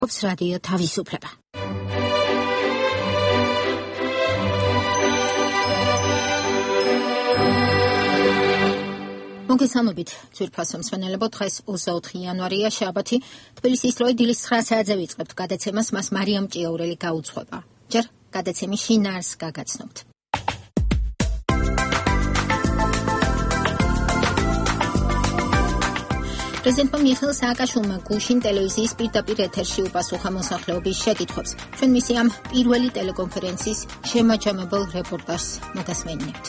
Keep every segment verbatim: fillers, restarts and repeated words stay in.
რადიო თავისუფლება. მოგესალმებით, ძვირფასო მსმენელებო, დღეს ოცდაოთხი იანვარია, შაბათი. თბილისის დროით დილის ცხრა საათზე ვიწყებთ გადაცემას, მას მარიამ ჭიაურელი გაუძღვება. ჯერ გადაცემის შინაარსს გაგაცნობთ. პრეზიდენტმა მიხეილ სააკაშვილმა გუშინ ტელევიზიის პირდაპირ ეთერში უპასუხა მოსახლეობის შეკითხვებს. ჩვენ მისი ამ პირველი ტელეკონფერენციის შემაჯამებელ რეპორტაჟს მოგასმენინებთ.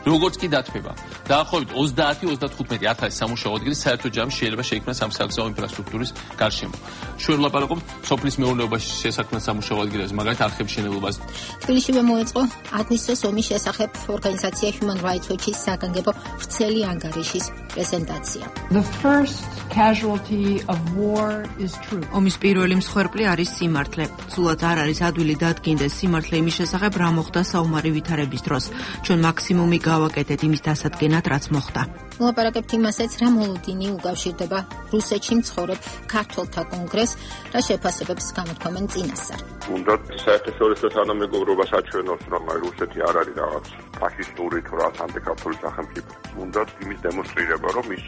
როგორც კი დათმება, დაახლოებით ოცდაათი ოცდათხუთმეტი ათასი სამუშაო ადგილი საერთო ჯამში შეიძლება შეიქმნას ამ საგზაო ინფრასტრუქტურის გარშემო. ჩვენ ვლაპარაკობთ სოფლის მეურნეობაში შესაქმნელ სამუშაო ადგილებზე, მაგალითად არხების შენელობაზე. თბილისშივე მოეწყო აგვისტოს ომის შესახებ ორგანიზაცია Human Rights Watch-ის საგანგებო ვრცელი ანგარიშის პრეზენტაცია. The first casualty of war is truth. ომის პირველი მსხვერპლი არის სიმართლე. სულაც არ არის ადვილი დადგინდეს სიმართლე იმის შესახებ, რა მოხდა საომარი ვითარების დროს. ჩვენ მაქსიმუმი გავაკეთეთ იმის დასადგენად, რაც მოხდა. ვლაპარაკებთ იმასაც, რა მოლოდინი უკავშირდება რუსეთში მცხოვრებ ქართველთა კონგრესს, რა შეფასებებს გამოთქვამენ წინასწარ. უნდა საერთაშორისო თანამეგობრობას აჩვენოს, რომ რუსეთი არ არის რაღაც ფაშისტური თუ რაღაც ანტიქართული სახელმწიფო. უნდა იმის დემონსტრირება, რომ ის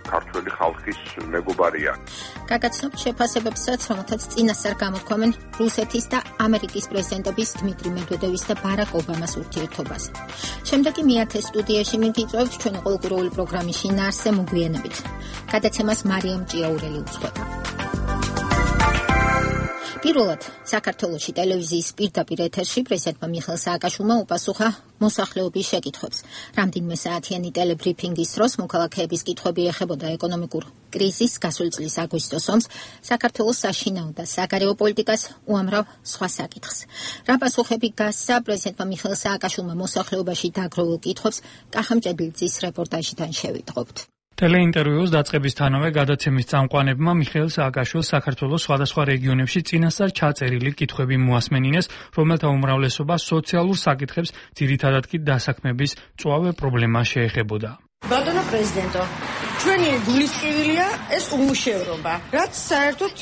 ქართველი ხალხის მეგობარია. გაგაცნობთ შეფასებებსაც, რომელთაც წინასწარ გამოთქვამენ რუსეთის და ამერიკის პრეზიდენტების დმიტრი მედვედევის და ბარაკ ობამას ურთიერთობაზე. შემდეგი მეათე სტუდიაში მიგიწევთ ჩვენი ყოველკვირეული პროგრამის შინაარსზე მოგვიანებით. გადაცემას მარიამ ჭიაურელი უძღვება. პირველად საქართველოში ტელევიზიის პირდაპირ ეთერში პრეზიდენტმა მიხეილ სააკაშვილმა უპასუხა მოსახლეობის შეკითხვებს. რამდენიმე საათიანი ტელებრიფინგის დროს მოქალაქეების კითხვები ეხებოდა ეკონომიკურ კრიზისს, გასული წლის აგვისტოს ომს, საქართველოს საშინაო და საგარეო პოლიტიკას, უამრავ სხვა საკითხს. რა პასუხები გასცა პრეზიდენტმა მიხეილ სააკაშვილმა მოსახლეობაში დაგროვილ კითხვებს, კახა მჭედლიძის რეპორტაჟიდან შევიტყობთ. ტელეინტერვიუს დაწყებისთანავე გადაცემის წამყვანებმა მიხეილ სააკაშვილს საქართველოს სხვადასხვა რეგიონებში წინასწარ ჩაწერილი კითხვები მოასმენინეს, რომელთა უმრავლესობა სოციალურ საკითხებს, ძირითადად კი დასაქმების მწვავე პრობლემას შეეხებოდა. ბატონო პრეზიდენტო, ჩვენი გულისწყივილია ეს უმუშევრობა, რაც საერთოდ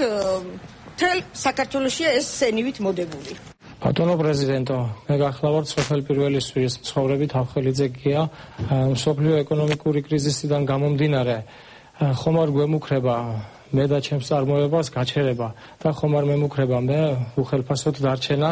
მთელ საქართველოშია ეს სენივით მოდებული. ბატონო პრეზიდენტო, მე გახლავართ სოფელ პირველისთვის მცხოვრები თავხელიძე გია, მსოფლიო ეკონომიკური კრიზისიდან გამომდინარე, ხომ არ გვემუქრება მე და ჩემს წარმოებას გაჩერება და ხომ არ მემუქრება მე უხელფასოდ დარჩენა.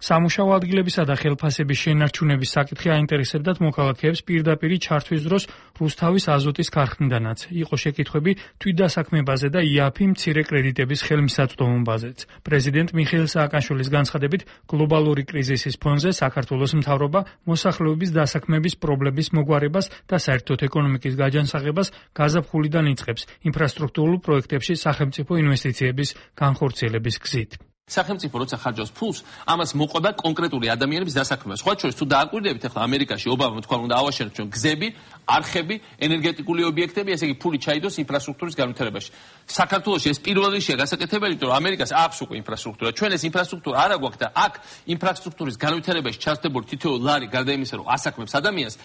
სამუშაო ადგილებისა და ხელფასების შენარჩუნების საკითხი აინტერესებდათ მოქალაქეებს პირდაპირი ჩართვის დროს რუსთავის აზოტის ქარხნიდანაც. იყო შეკითხვები თვითდასაქმებაზე და იაფი მცირე კრედიტების ხელმისაწვდომობაზეც. პრეზიდენტ მიხეილ სააკაშვილის განცხადებით, გლობალური კრიზისის ფონზე საქართველოს მთავრობა მოსახლეობის დასაქმების პრობლემის მოგვარებას და საერთოდ ეკონომიკის გაჯანსაღებას გაზაფხულიდან იწყებს ინფრასტრუქტურულ პროექტებში სახელმწიფო ინვესტიციების განხორციელების გზით. სახელმწიფო როცა ხარჯავს ფულს, ამას მოყვება კონკრეტული ადამიანების დასაქმება. სხვა შორის თუ დააკვირდებით, ახლა ამერიკაში ობამა თქვა, უნდა ავაშენოთ ჩვენ გზები, არხები, ენერგეტიკული ობიექტები, ესე იგი ფული ჩაიდოს ინფრასტრუქტურის განვითარებაში. საქართველოში ეს პირველ რიგშია გასაკეთებელი, იმიტომ რომ ამერიკას აქვს უკვე ინფრასტრუქტურა. ჩვენ ეს ინფრასტრუქტურა არ აგვაქვს და აქ ინფრასტრუქტურის განვითარებაში ჩართებული თითოეულ ლარი გარდა იმისა, რომ ასაქმებს ადამიანს,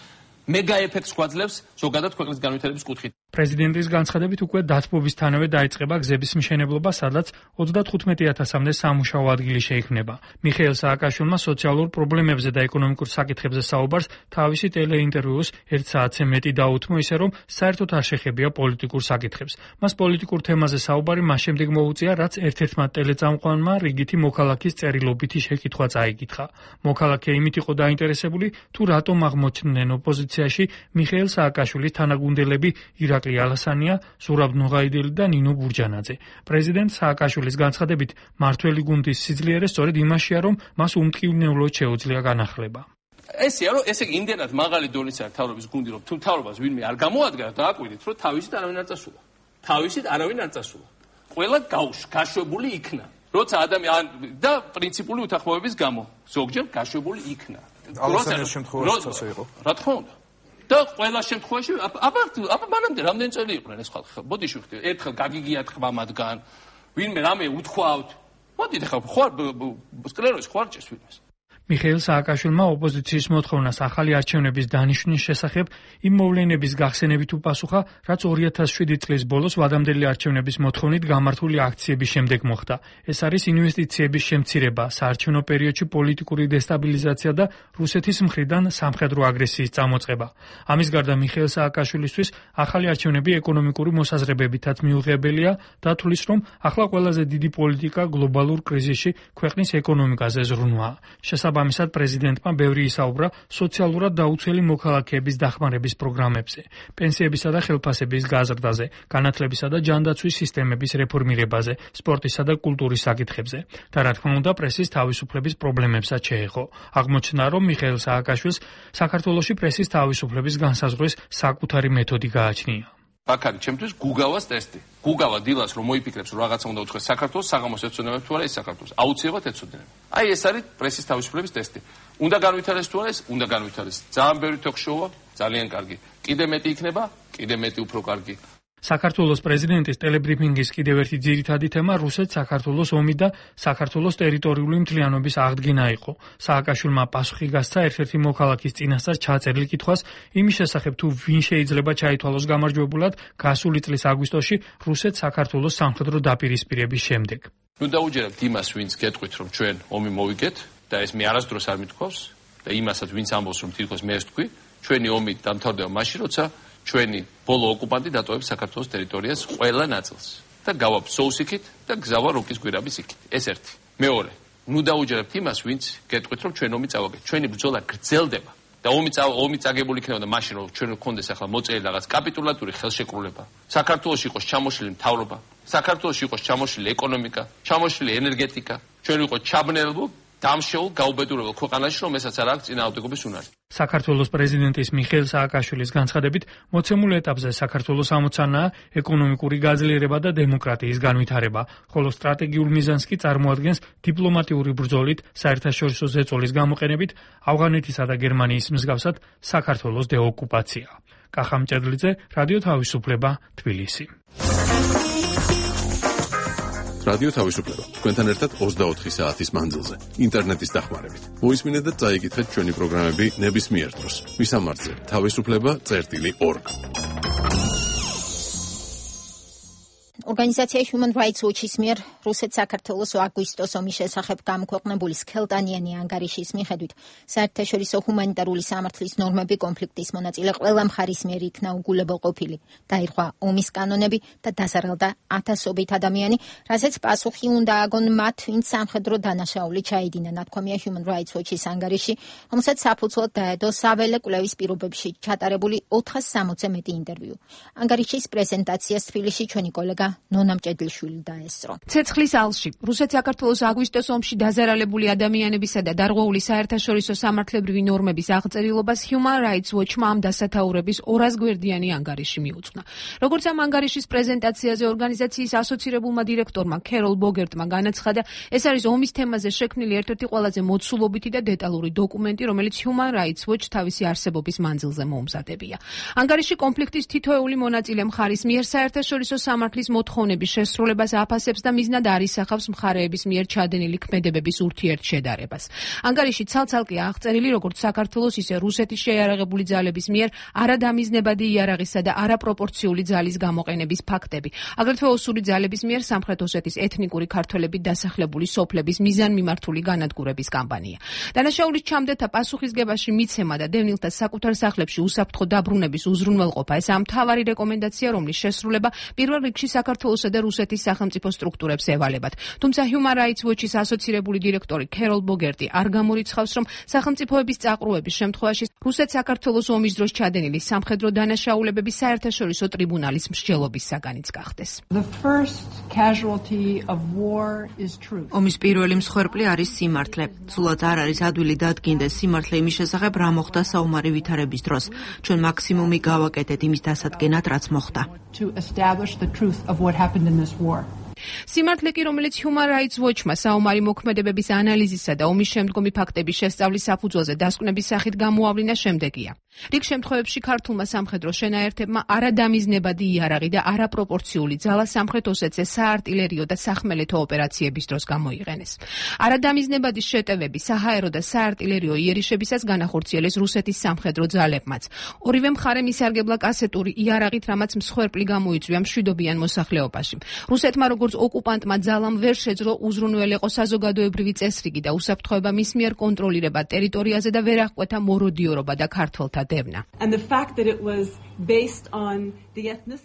მეგა ეფექტს გვაძლევს ზოგადად ქვეყნის განვითარების კუთხით. პრეზიდენტის განცხადებით უკვე დათბობისთანავე დაიწყება გზების მშენებლობა, სადაც ოცდათხუთმეტი ათასამდე სამუშაო ადგილი შეიქმნება. მიხეილ სააკაშვილმა სოციალურ პრობლემებზე და ეკონომიკურ საკითხებზე საუბარს თავისი ტელეინტერვიუს ერთ საათზე მეტი დაუთმო, ისე რომ საერთოდ არ შეხებია პოლიტიკურ საკითხებს. მას პოლიტიკურ თემაზე საუბარი მას შემდეგ მოუწია, რაც ერთ-ერთმა ტელეწამყვანმა რიგითი მოქალაქის წერილობითი შეკითხვა წაიკითხა. მოქალაქე იმით იყო დაინტერესებული, თუ რატომ აღმოჩნდნენ ოპოზიციაში მიხეილ სააკაშვილის თანაგუნდელები ირაკლი ალასანია, ზურაბ ნოღაიდელი და ნინო ბურჯანაძე. პრეზიდენტ სააკაშვილის განცხადებით, მართველი გუნდის სიძლიერე სწორედ იმაშია, რომ მას უმტკივნეულოდ შეუძლია განახლება. ესეა, რომ ესე იგი იმდენად მაღალი დონისაა მთავრობის გუნდი, რომ თუ მთავრობას ვინმე არ გამოადგა, დააკვირდით, რომ თავისით არავინ არ წასულა. თავისით არავინ არ წასულა. ყველა გაშვებული იქნა. როცა ადამიანი და პრინციპული უთანხმოების გამო ზოგჯერ გაშვებული იქნა. ალასანიას შემთხვევაში ასე იყო. რა თქმა უნდა. და ყველა შემთხვევაში აბა აბა მანამდე რამდენი წელი იყვნენ ეს ხალხი? ბოდიში ვხდით, ერთხელ გაგიგიათ ხმა მათგან, ვინმე რამე უთქვავთ. მოდით ახლა ხوار სკლეროზი ხوار ჭერს ვინმეს. მიხეილ სააკაშვილმა ოპოზიციის მოთხოვნას ახალი არჩევნების დანიშვნის შესახებ იმ მოვლენების გახსენებით უპასუხა, რაც ორი ათას შვიდი წლის ბოლოს ვადამდელი არჩევნების მოთხოვნით გამართული აქციების შემდეგ მოხდა. ეს არის ინვესტიციების შემცირება, საარჩევნო პერიოდში პოლიტიკური დესტაბილიზაცია და რუსეთის მხრიდან სამხედრო აგრესიის წამოწყება. ამის გარდა მიხეილ სააკაშვილისთვის ახალი არჩევნები ეკონომიკური მოსაზრებებითაც მიუღებელია და თulis რომ ახლა ყველაზე დიდი პოლიტიკა გლობალურ კრიზისში ქვეყნის ეკონომიკაზე ზრუნვაა. შესაბამისად პრეზიდენტმა ბევრი ისაუბრა სოციალურად დაუცველი მოქალაქეების დახმარების პროგრამებზე, პენსიებისა და ხელფასების გაზრდაზე, განათლებისა და ჯანდაცვის სისტემების რეფორმირებაზე, სპორტისა და კულტურის საკითხებზე და რა თქმა უნდა პრესის თავისუფლების პრობლემებსაც შეეხო. აღმოჩნდა, რომ მიხეილ სააკაშვილს საქართველოში პრესის თავისუფლების განსაზღვრის საკუთარი მეთოდი გააჩნია. აქ არის ჩემთვის გუგავას ტესტი. გუგავა დილას რომ მოიფიქრებს რომ რაღაცა უნდა უთხეს საქართველოს საღამოს ეცოდინებს თუ არა ეს საქართველოს. აუცილებლად ეცოდინებს. აი ეს არის პრესის თავისუფლების ტესტი. უნდა განვითარდეს თუ არა ეს, უნდა განვითარდეს. ძალიან ბევრი თოქ-შოუა, ძალიან კარგი. კიდე მეტი იქნება, კიდე მეტი უფრო კარგი. საქართველოს პრეზიდენტის ტელებრიფინგის კიდევ ერთი ძირითადი თემა რუსეთ-საქართველოს ომი და საქართველოს ტერიტორიული მთლიანობის აღდგენა იყო. სააკაშვილმა პასუხი გასცა ერთ-ერთი მოქალაქის წინასწარ ჩაწერილ კითხვას იმის შესახებ თუ ვინ შეიძლება ჩაითვალოს გამარჯვებულად გასული წლის აგვისტოში რუსეთ-საქართველოს სამხედრო დაპირისპირების შემდეგ. ნუ დაუჯერებთ იმას, ვინც გეტყვით, რომ ჩვენ ომი მოვიგეთ და ეს მე არასდროს არ მithქვავს და იმასაც ვინც ამბობს, რომ თითქოს მე ეს თქვი, ჩვენი ომი დამთავრდება მაშინ, როცა ჩვენი ბოლო ოკუპანტი დატოვებს საქართველოს ტერიტორიას ყველა ნაწილს და გავაბ სოუსიქით და გზავა როკის გვირაბის იქით. ეს ერთი. მეორე. ნუ დაუჯერებთ იმას, ვინც გეტყვით, რომ ჩვენ ომი წავაგეთ. ჩვენი ბრძოლა გრძელდება და ომი ომი წაგებული იქნებოდა მაშინ, რომ ჩვენ გქონდეს ახლა მოწელი რაღაც კაპიტულატური ხელშეკრულება. საქართველოში იყოს ჩამოშლილი მთავრობა, საქართველოში იყოს ჩამოშლილი ეკონომიკა, ჩამოშლილი ენერგეტიკა. ჩვენ ვიყოთ ჩაბნეულო დამშეულ გაუბედურებულ ქვეყანაში, რომ ესაც არ აქვს წინააღმდეგობის უნარი. საქართველოს პრეზიდენტის მიხეილ სააკაშვილის განცხადებით, მოცემულ ეტაპზე საქართველოს ამოცანაა ეკონომიკური გაძლიერება და დემოკრატიის განვითარება, ხოლო სტრატეგიულ მიზანს კი წარმოადგენს დიპლომატიური ბრძოლით, საერთაშორისო ზეწოლის გამოყენებით ავღანეთისა და გერმანიის მსგავსად საქართველოს დეოკუპაცია. კახა მჭედლიძე, რადიო თავისუფლება, თბილისი. რადიო თავისუფლება თქვენთან ერთად ოცდაოთხი საათის მანძილზე ინტერნეტის დახმარებით. მოისმინეთ და წაიკითხეთ ჩვენი პროგრამები ნებისმიერ დროს. მისამართზე თავისუფლება წერტილი ორგ. ორგანიზაცია Human Rights Watch-ის მიერ რუსეთ-საქართველოს აგვისტოს ომის შესახებ გამოქვეყნებული სქელტანიანი ანგარიშის მიხედვით საერთაშორისო ჰუმანიტარული სამართლის ნორმები კონფლიქტის მონაწილე ყველა მხარის მიერ იქნა უგულებელყოფილი. დაირღვა ომის კანონები და დაზარალდა ათასობით ადამიანი, რასაც პასუხი უნდა აგონ მათ, ვინც სამხედრო დანაშაული ჩაიდინა. ნათქვამია Human Rights Watch-ის ანგარიში, რომელსაც საფუძვლად დაედო საველე კვლევის პირობებში ჩატარებული ოთხას სამოცზე მეტი ინტერვიუ. ანგარიშის პრეზენტაციას თბილისში ჩვენი კოლეგა ნონა მჭედლიშვილი დაესწრო. ცეცხლის ალში რუსეთ-საქართველოს აგვისტოს ომში დაზარალებული ადამიანებისა და დარღვეული საერთაშორისო სამართლებრივი ნორმების აღწერილობას Human Rights Watch-მა ამ დასათაურების ორასგვერდიანი ანგარიში მიუძღვნა. როგორც ამ ანგარიშის პრეზენტაციაზე ორგანიზაციის ასოცირებულმა დირექტორმა ქეროლ ბოგერტმა განაცხადა, ეს არის ომის თემაზე შექმნილი ერთ-ერთი ყველაზე მოცულობითი და დეტალური დოკუმენტი, რომელიც Human Rights Watch თავისი არსებობის მანძილზე მოუმზადებია. ანგარიში კონფლიქტის თითოეული მონაწილე მხარის მიერ საერთაშორისო სამართლის მოთხოვნების შესრულებას აფასებს და მიზნად არ ისახავს მხარეების მიერ ჩადენილი ქმედებების ურთიერთშედარებას. ანგარიში ცალ-ცალკე აღწერილი როგორც საქართველოს, ისე რუსეთის შეიარაღებული ძალების მიერ არადამიზნებადი იარაღისა და არაპროპორციული ძალის გამოყენების ფაქტები. აგრეთვე ოსური ძალების მიერ სამხრეთ ოსეთის ეთნიკური ქართველებით დასახლებული სოფლების მიზანმიმართული განადგურების კამპანია. დანაშაულის ჩამდეთა პასუხისგებაში მიცემა და დევნილთა საკუთარ სახლებში უსაფრთხო დაბრუნების უზრუნველყოფა ეს ამ მთავარი რეკომენდაცია, რომლის შესრულება პირველ რიგში საქართველოსა და რუსეთის სახელმწიფო სტრუქტურებს ევალებათ. თუმცა Human Rights Watch-ის ასოცირებული დირექტორი ქეროლ ბოგერტი არ გამორიცხავს, რომ სახელმწიფოების წაყრუების შემთხვევაში რუსეთ-საქართველოს ომის დროს ჩადენილი სამხედრო დანაშაულებები საერთაშორისო ტრიბუნალის მსჯელობის საგანიც გახდეს. ომის პირველი მსხვერპლი არის სიმართლე. სულაც არ არის ადვილი დადგინდეს სიმართლე იმის შესახებ, რა მოხდა საომარი ვითარების დროს. ჩვენ მაქსიმუმი გავაკეთეთ იმის დასადგენად, რაც მოხდა. Of what happened in this war. სიმართლე კი, რომელიც Human Rights Watch-მა საომარი მოქმედებების ანალიზისა და ომის შემდგომი ფაქტების შესწავლის საფუძველზე დასკვნების სახით გამოავლინა, შემდეგია. რიგ შემთხვევებში ქართულმა სამხედრო შენაერთებმა არადამიზნებადი იარაღი და არაპროპორციული ძალა სამხრეთ ოსეთზე საარტილერიო და სახმელეთო ოპერაციების დროს გამოიყენეს. არადამიზნებადი შეტევები საჰაერო და საარტილერიო იერიშებისას განახორციელეს რუსეთის სამხედრო ძალებმაც. ორივე მხარემ ისარგებლა კასეტური იარაღით, რამაც მსხვერპლი გამოიწვია მშვიდობიან მოსახლეობაში. რუსეთმა როგორც ოკუპანტმა ძალამ ვერ შეძლო უზრუნველეყო საზოგადოებრივი წესრიგი და უსაფრთხოება მის მიერ კონტროლირება ტერიტორიაზე და ვერ აღკვეთა მოროდიორობა და ქართველთა დევნა.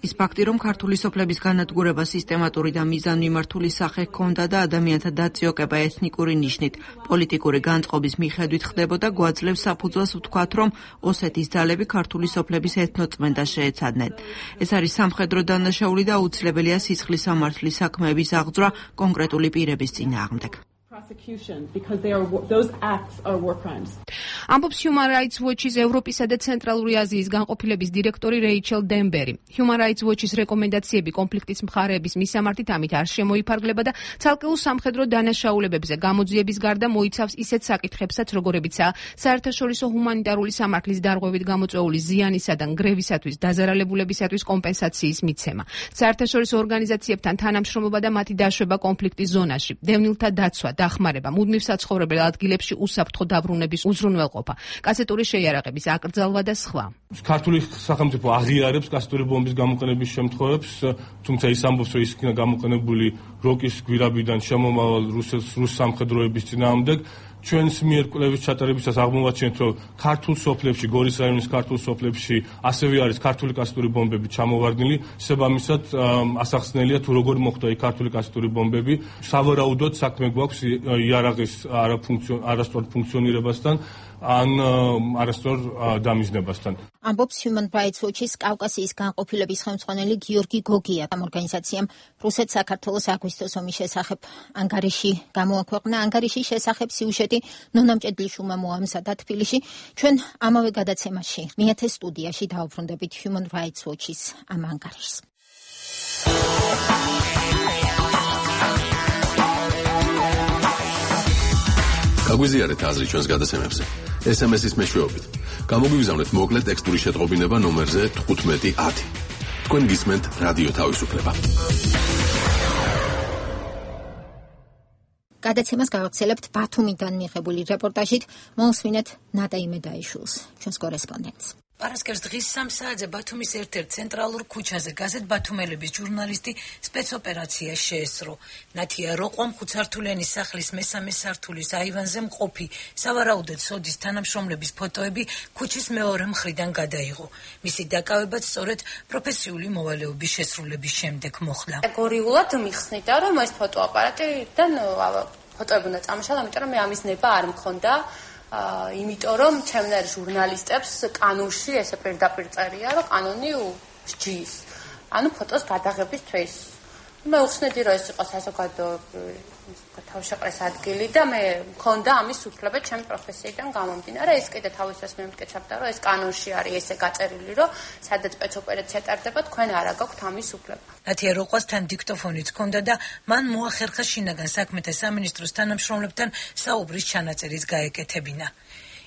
ის ფაქტი, რომ ქართული სოფლების განადგურება სისტემატური და მიზანმიმართული სახე ჰქონდა და ადამიანთა დაციოკება ეთნიკური ნიშნით პოლიტიკური განწყობის მიხედვით ხდებოდა, გვაძლევს საფუძველს ვთქვათ, რომ ოსეთის ძალები ქართული სოფლების ეთნოწმენდას შეეცადნენ. ეს არის სამხედრო დანაშაული და აუცილებელია სისხლის სამართლის საქმეების აღძვრა კონკრეტული პირების წინააღმდეგ. ამბობს Human Rights Watch-ის ევროპისა და ცენტრალური აზიის განყოფილების დირექტორი რეიჩელ დენბერი. Human Rights Watch-ის რეკომენდაციები კონფლიქტის მხარეების მისამართით ამით არ შემოიფარგლება და ცალკეულ სამხედრო დანაშაულებებზე გამოძიების გარდა მოიცავს ისეთ საკითხებსაც, როგორებიცაა საერთაშორისო ჰუმანიტარული სამართლის დარღვევით გამოწვეული ზიანისა და ნგრევისათვის დაზარალებულებისათვის კომპენსაციის მიცემა, საერთაშორისო ორგანიზაციებთან თანამშრომლობა და მათი დაშვება კონფლიქტის ზონაში, დევნილთა დაცვა, დახმარება, მუდმივ საცხოვრებელ ადგილებში უსაფრთხო დაბრუნების უზრუნველყოფა, კასეტური შეიარაღების აკრძალვა და სხვა. ქართული სახელმწიფო აღიარებს კასეტური ბომბის გამოყენების შემთხვევებს, თუმცა ის ამბობს, რომ ის იქნა გამოყენებული როკის გვირაბიდან შემომავალ რუს სამხედროების წინააღმდეგ. ჩვენს მიერ კვლევის ჩატარებისას აღმოვაჩინეთ, რომ ქართულ სოფლებში, გორის რაიონის ქართულ სოფლებში ასევე არის ქართული კასეტური ბომბები ჩამოვარდნილი. შესაბამისად, ასახსნელია თუ როგორ მოხდა იქ ქართული კასეტური ბომბები. სავარაუდოდ საქმე გვაქვს იარაღის არასწორ ფუნქციონირებასთან ან არასწორ დამიზნებასთან. ამბობს Human Rights Watch-ის კავკასიის განყოფილების ხელმძღვანელი გიორგი გოგია. ამ ორგანიზაციამ რუსეთ-საქართველოს აგვისტოს ომის შესახებ ანგარიში გამოაქვეყნა. ანგარიშის შესახებ სიუჟეტი ნონა მჭედლიშვილმა მოამზადა თბილისში. ჩვენ ამავე გადაცემაში მეათე სტუდიაში დაუბრუნდებით Human Rights Watch-ის ამ ანგარიშს. გაგვიზიარეთ აზრი ჩვენს გადაცემებზე. ეს ემ ეს-ის მეშვეობით. გამოგვიგზავნეთ მოკლე ტექსტური შეტყობინება ნომერზე თხუთმეტი ათი. თქვენ გისმენთ რადიო თავისუფლება. გადაცემას გავაგრძელებთ ბათუმიდან მიღებული რეპორტაჟით. მოусმინეთ ნატა იმედაიშვილს, ჩვენს კორესპონდენტს. პარასკევს დღის სამ საათზე ბათუმის ერთ-ერთ ცენტრალურ ქუჩაზე გაზეთ ბათუმელების ჟურნალისტი სპეცოპერაცია შეესწრო. ნათია როყვამ ხუთსართულიანი სახლის მესამე სართულის აივანზე მყოფი სავარაუდოდ სოდის თანამშრომლების ფოტოები ქუჩის მეორე მხრიდან გადაიღო. მისი დაკავებაც სწორედ პროფესიული მოვალეობის შესრულების შემდეგ მოხდა. კატეგორიულად მიხსნიდა, რომ ეს ფოტოაპარატიდან ფოტოები უნდა წამოშალო, იმიტომ რომ მე ამის ნება არ მქონდა. იმიტომ რომ ჩემნაირ ჟურნალისტებს კანონში ესე პირდაპირ წერია, რომ კანონი სჯის. ანუ ფოტოს გადაღებისთვის. მე უხსნედი, რომ ეს იყო საზოგადო თავშეყრის ადგილი და მე მქონდა ამის უფლება ჩემი პროფესიიდან გამომდინარე. ეს კიდე თავისას მემტკიცებდა, რომ ეს კანონში არის ესე გაწერილი, რომ სადაც სპეცოპერაცია ტარდება, თქვენ არ აგაქვთ ამის უფლება. ნათია როყვასთან დიქტოფონიც ჰქონდა და მან მოახერხა შინაგან საქმეთა სამინისტროს თანამშრომლებთან საუბრის ჩანაწერის გაეკეთებინა.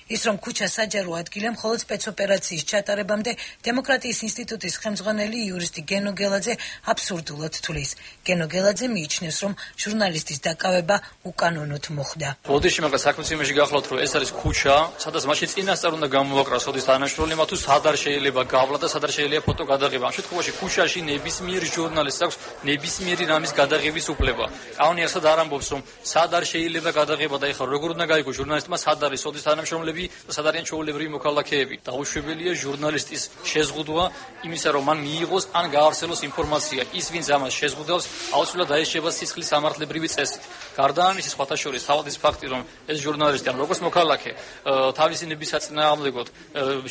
ის რომ ქუჩა საჯარო ადგილი მხოლოდ სპეცოპერაციის ჩატარებამდე დემოკრატიის ინსტიტუტის ხელმძღვანელი იურისტი გენო გელაძე აბსურდულად თვლის. გენო გელაძე მიიჩნევს, რომ ჟურნალისტის დაკავება უკანონოდ მოხდა. ოდეში მაგას საქმის იმაში გახლავთ, რომ ეს არის ქუჩა, სადაც მაშინ წინასწარ უნდა გამოვაკრას სოდის თანამშრომლება თუ სად არ შეიძლება გავლა და სად არ შეიძლება ფოტო გადაღება. ამ შემთხვევაში ქუჩაში ნებისმიერ ჟურნალისტს აქვს ნებისმიერი რამის გადაღების უფლება. კანონი ასად არ ამბობს, რომ სად არ შეიძლება გადაღება და ეხლა როგორ უნდა გაიგო ჟურნალისტმა სად არის სოდის თანამშრომლები და სად არიან ჩვეულებრივი მოქალაქეები. დაუშვებელია ჟურნალისტის შეზღუდვა იმისა, რომ მან მიიღოს ან გაარსელოს ინფორმაცია. ის, ვინც ამას შეზღუდავს, აუცილებლად დაეშება სისხლის სამართლებრივი წესით. გარდა ამისა, სხვათა შორის თავის ფაქტი, რომ ეს ჟურნალისტი ან როგორც მოქალაქე თავისი ნების საწინააღმდეგოდ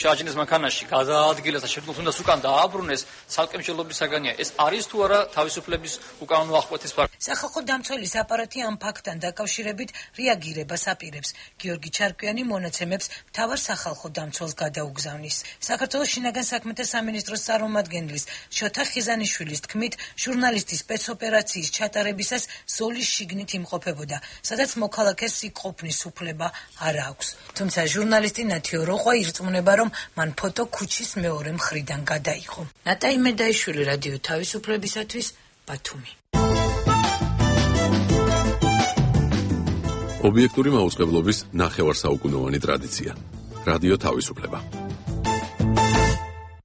შაჯინის მანქანაში გადაადგილეს და შეძლოს უნდა უკან დააბრუნეს, ცალკე მსჯელობის საგანია. ეს არის თუ არა თავისუფლების უკანონო აღკვეთის ფაქტი. სახალხო დამცველის აპარატი ამ ფაქტთან დაკავშირებით რეაგირებას აპირებს. გიორგი ჩარკვიანი მონაცემ ხელმძღვანელებს მთავარ სახალხო დამცველს გადაუგზავნის. საქართველოს შინაგან საქმეთა სამინისტროს წარმომადგენლის შოთა ხიზანიშვილის თქმით, ჟურნალისტის სპეცოპერაციის ჩატარებისას ზოლის შიგნით იმყოფებოდა, სადაც მოქალაქეს სიყოფნის უფლება არ აქვს. თუმცა ჟურნალისტი ნათიო როყვა ირწმუნება, რომ მან ფოტო ქუჩის მეორე მხრიდან გადაიღო. ნატაი მედაიშვილი, რადიო თავისუფლებისათვის, ბათუმი. ობიექტური მაუწყებლობის ნახევარსაუკუნოვანი ტრადიცია. რადიო თავისუფლება.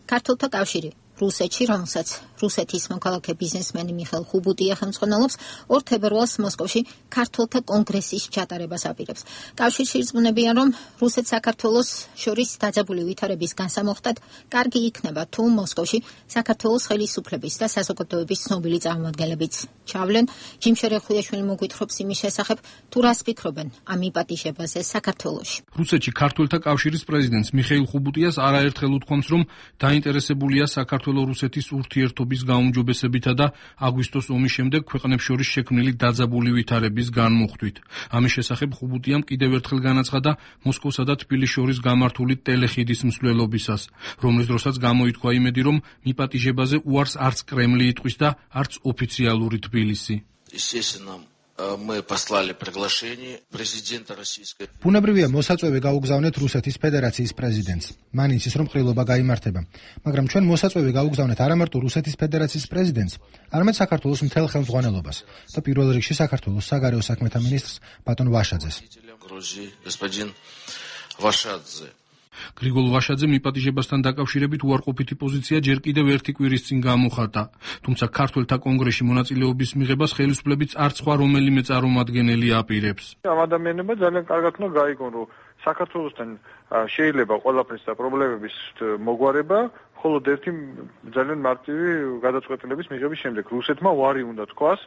ქართულთა კავშირი რუსეთში, რომელსაც რუსეთის მოქალაქე ბიზნესმენი მიხეილ ხუბუტია ხელმძღვანელობს, ორ თებერვალს მოსკოვში ქართულთა კონგრესის ჩატარებას აპირებს. კავშირში ირწმუნებიან, რომ რუსეთ-საქართველოს შორის დაძაბული ვითარების განსამოხტად კარგი იქნება, თუ მოსკოვში საქართველოს ხელისუფლების და საზოგადოების ცნობილი წარმომადგენლებიც ჩავლენ. ჯიმშერე ხუიაშვილი მოგვითხრობს იმის შესახებ, თუ რას ფიქრობენ ამ მიპატიჟებაზე საქართველოში. რუსეთში ქართულთა კავშირის პრეზიდენტს მიხეილ ხუბუტიას არაერთხელ უთქვამს, რომ დაინტერესებულია საქართველო-რუსეთის ურთიერთობის გაუმჯობესებითა და აგვისტოს ომის შემდეგ ქვეყნებს შორის შექმნილი დაძაბული ვითარების განმუხტვით. ამის შესახებ ხუბუტიამ კიდევ ერთხელ განაცხადა მოსკოვსა და თბილისის შორის გამართული ტელეხიდის მსვლელობისას, რომლის დროსაც გამოითქვა იმედი, რომ მიპატიჟებაზე უარს არც კრემლი იტყვის და არც ოფიციალური თბილისი. Мы послали приглашение президента российской. Ბუნებრივია მოსაწვევი გაუგზავნეთ რუსეთის ფედერაციის პრეზიდენტს. მან იცის, რომ ყრილობა გაიმართება. მაგრამ ჩვენ მოსაწვევი გაუგზავნეთ არა მარტო რუსეთის ფედერაციის პრეზიდენტს, არამედ საქართველოს მთელ ხელმძღვანელობას და პირველ რიგში საქართველოს საგარეო საქმეთა მინისტრს ბატონ ვაშაძეს. Грузии господин Вашадзе. გრიგოლ ვაშაძე მიპატიჟებასთან დაკავშირებით უარყოფითი პოზიცია ჯერ კიდევ ერთი კვირის წინ გამოხატა. თუმცა ქართველთა კონგრესში მონაწილეობის მიღებას ხელისუფლებიც არც სხვა რომელიმე წარმომადგენელი აპირებს. ამ ადამიანებმა ძალიან კარგად უნდა გაიგონ, რომ საქართველოსთან შეიძლება ყველაფრის და პრობლემების მოგვარება, მხოლოდ ერთი ძალიან მარტივი გადაწყვეტილების მიღების შემდეგ. რუსეთმა უარი უნდა თქვას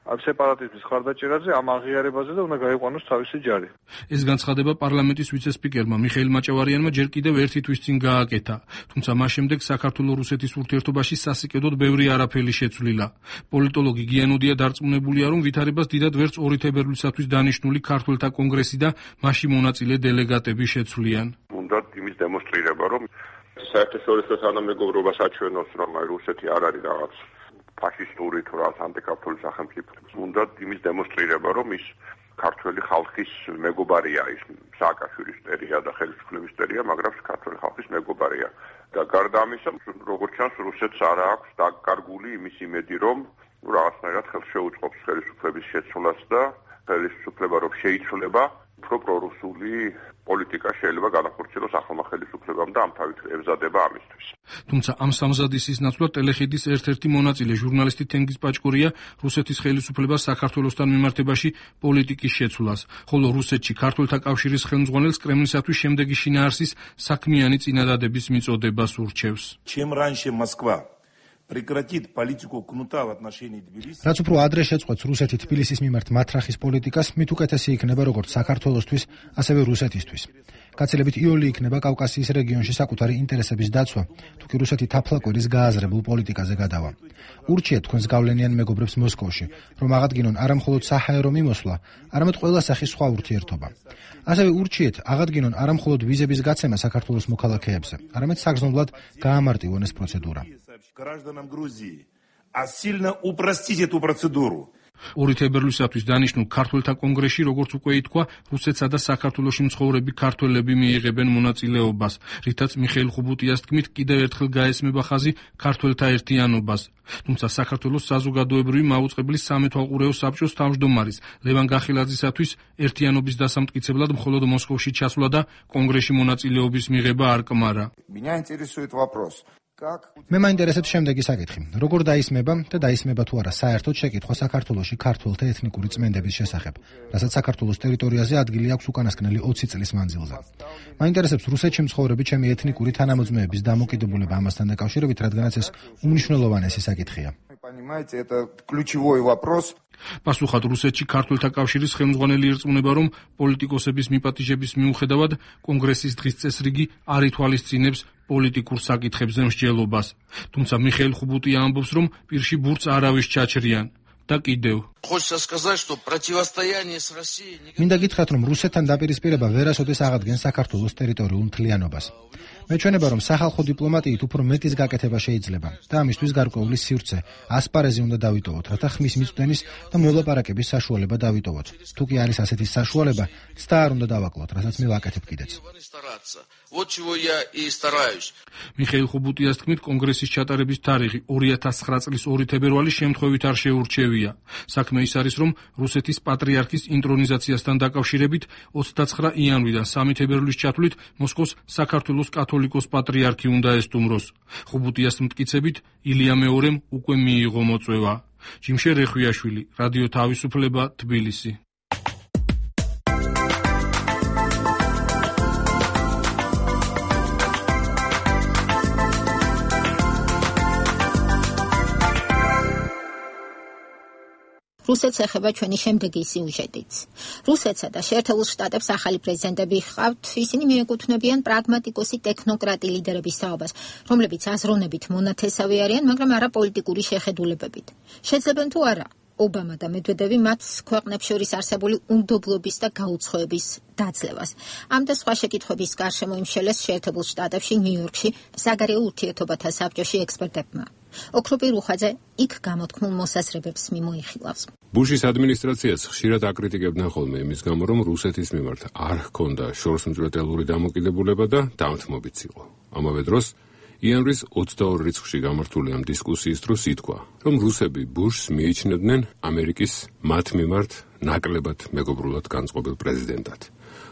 ამ სეპარატიზმის ხარდაჭერაზე, ამ აღიარებაზე და უნდა გაიყვანოს თავისი ჯარი. ეს განცხადება პარლამენტის ვიცე-სპიკერმა მიხეილ მაჭავარიანმა ჯერ კიდევ ერთი თვის წინ გააკეთა. თუმცა მას შემდეგ საქართველო-რუსეთის ურთიერთობაში სასიკედოდ ბევრი არაფერი შეცვლილა. პოლიტოლოგი გიანოდია დარწმუნებულია, რომ ვითარებას დიდად ვერც ორი თებერვლისათვის დანიშნული ქართველთა კონგრესი და მასში მონაწილე დელეგატები შეცვლიან. უნდა იმის დემონსტრირება, რომ საერთაშორისო თანამეგობრობას აჩვენოს, რომ რუსეთი არ არის რაღაც ფაშისტური თუ რაღაც ანტიკათოლიკე სახელმწიფო. უნდა იმის დემონსტრირება, რომ ის ქართველი ხალხის მეგობარია, ის სააკაშვილის წერია და ხელისუფლების წერია, მაგრამ ქართველი ხალხის მეგობარია. და გარდა ამისა, როგორც ჩანს, რუსეთს არ აქვს დაკარგული იმის იმედი, რომ რაღაცნაირად ხელს შეუწყობს ხელისუფლების შეცვლას და ხელისუფლება რომ შეიცვლება, უფრო პრორუსული პოლიტიკა შეიძლება განახორციელოს ახალმა ხელისუფლებამ და ამ თავით ემზადება ამისთვის. თუმცა ამ სამზადისის ნაცვლად ტელეხიდის ერთ-ერთი მონაწილე ჟურნალისტი თენგიზ პაჭკურია რუსეთის ხელისუფლებას საქართველოსთან მიმართებაში პოლიტიკის შეცვლას, ხოლო რუსეთში ქართველთა კავშირის ხელმძღვანელს კრემლისათვის შემდეგი შინაარსის საქმიანი წინადადების მიწოდებას ურჩევს. Чем раньше Москва прекратит политику кнута в отношении Тбилиси. რაც უფრო ადრე შეწყვეტს რუსეთი თბილისის მიმართ მათრახის პოლიტიკას, მით უკეთესი იქნება როგორც საქართველოსთვის, ასევე რუსეთისთვის. გაცილებით იოლი იქნება კავკასიის რეგიონში საკუთარი ინტერესების დაცვა, თუ კი რუსეთი თაფლაკვირის გააზრებულ პოლიტიკაზე გადავა. ურჩიეთ თქვენს გავლენიან მეგობრებს მოსკოვში, რომ აღადგინონ არა მხოლოდ საჰაერო მიმოსვლა, არამედ ყველა სახის სხვა ურთიერთობა. ასევე ურჩიეთ აღადგინონ არა მხოლოდ ვიზების გაცემა საქართველოს მოქალაქეებზე, არამედ საგრძნობლად გაამარტივონ ეს პროცედურა. Гражданам Грузии, а сильно упростить эту процедуру. ორი თებერვლისათვის დანიშნულ ქართველთა კონგრესში, როგორც უკვე ითქვა, რუსეთსა და საქართველოში მცხოვრები ქართველები მიიღებენ მონაწილეობას, რითაც მიხეილ ხუბუტიას თქმით კიდევ ერთხელ გაესმება ხაზი ქართველთა ერთიანობას. თუმცა საქართველოს საზოგადოებრივი მაუწყებლის სამეთვალყურეო საბჭოს თავმჯდომარის ლევან გახილაძისათვის ერთიანობის დასამტკიცებლად მხოლოდ მოსკოვში ჩასვლა და კონგრესში მონაწილეობის მიღება არ კმარა. Меня интересует вопрос. მე მაინტერესებს შემდეგი საკითხი. როგორ დაისმება და დაისმება თუ არა საერთოდ შეკითხვა საქართველოში ქართველთა ეთნიკური წმენდების შესახებ, რასაც საქართველოს ტერიტორიაზე ადგილი აქვს უკანასკნელი ოცი წლის მანძილზე. მაინტერესებს რუსეთში მცხოვრები ჩემი ეთნიკური თანამოწმეების დამოკიდებულება ამასთან დაკავშირებით, რადგანაც ეს უმნიშვნელოვანესი საკითხია. Понимаете, это ключевой вопрос. პასუხად რუსეთში ქართველთა კავშირის ხელმძღვანელი ირწმუნება, რომ პოლიტიკოსების მიპატიჟების მიუხედავად კონგრესის დღის წესრიგი არ ითვალისწინებს პოლიტიკურ საკითხებზე მსჯელობას. თუმცა მიხეილ ხუბუტია ამბობს, რომ პირში ბურთს არავის ჩაჩრიან. და კიდევ. Хочется сказать, что противостояние с Россией... მინდა გითხრათ, რომ რუსეთთან დაპირისპირება ვერასოდეს აღადგენს საქართველოს ტერიტორიულ მთლიანობას. მეჩვენება, რომ სახალხო დიპლომატიით უფრო მეტის გაკეთება შეიძლება და ამისთვის გარკვეული სივრცე, ასპარეზი უნდა დავიტოვოთ, რათა ხმის მიწვდენის და მოლაპარაკების საშუალება დავიტოვოთ. თუ კი არის ასეთი საშუალება, ცდა არ უნდა დავაკლოთ, რასაც მე ვაკეთებ კიდეც. Вот чего я и стараюсь. მიხეილ ხუბუტიას თქმით, კონგრესის ჩატარების თარიღი ორი ათას ცხრა წლის ორი თებერვალი შემთხვევით არ შეურჩევია. საქმე ის არის, რომ რუსეთის პატრიარქის ინტრონიზაციასთან დაკავშირებით ოცდაცხრა იანვრიდან სამი თებერვლის ჩათვლით მოსკოვს საქართველოს კათოლიკოს პატრიარქი უნდა ესტუმროს. ხუბუტიას მტკიცებით, ილია მეორემ უკვე მიიღო მოწვევა. ჯიმშე რეხვიაშვილი, რადიო თავისუფლება, თბილისი. რუსეთს ეხება ჩვენი შემდეგი სიუჟეტიც. რუსეთსა და შეერთებულ შტატებს ახალი პრეზიდენტები ჰყავთ, ისინი მიეკუთვნებიან პრაგმატიკოსი ტექნოკრატი ლიდერების საობას, რომლებიც აზროვნებით მონათესავი არიან, მაგრამ არა პოლიტიკური შეხედულებებით. შეძლებენ თუ არა ობამა და მედვედევი მათ ქვეყნებს შორის არსებული უნდობლობის და გაუცხოების დაძლევას. ამ და სხვა შეკითხვების გარშემო იმშელეს შეერთებულ შტატებში, ნიუ-იორკში, საგარეო ურთიერთობათა საბჭოში ექსპერტებმა. ოქროპი რუხაძე იქ გამოთქმულ მოსაზრებებს მიმოიხილავს. ბუშის ადმინისტრაციას ხშირად აკრიტიკებდნენ ხოლმე იმის გამო, რომ რუსეთის მიმართ არ ჰქონდა შორსმწვეტელური დამოკიდებულება და დამთმობიც იყო. ამავე დროს იანვრის ოცდაორ რიცხვში გამართული ამ დისკუსიის დროს ითქვა, რომ რუსები ბუშს მიიჩნევდნენ ამერიკის მათ მიმართ ნაკლებად მეგობრულად განწყობილ პრეზიდენტად.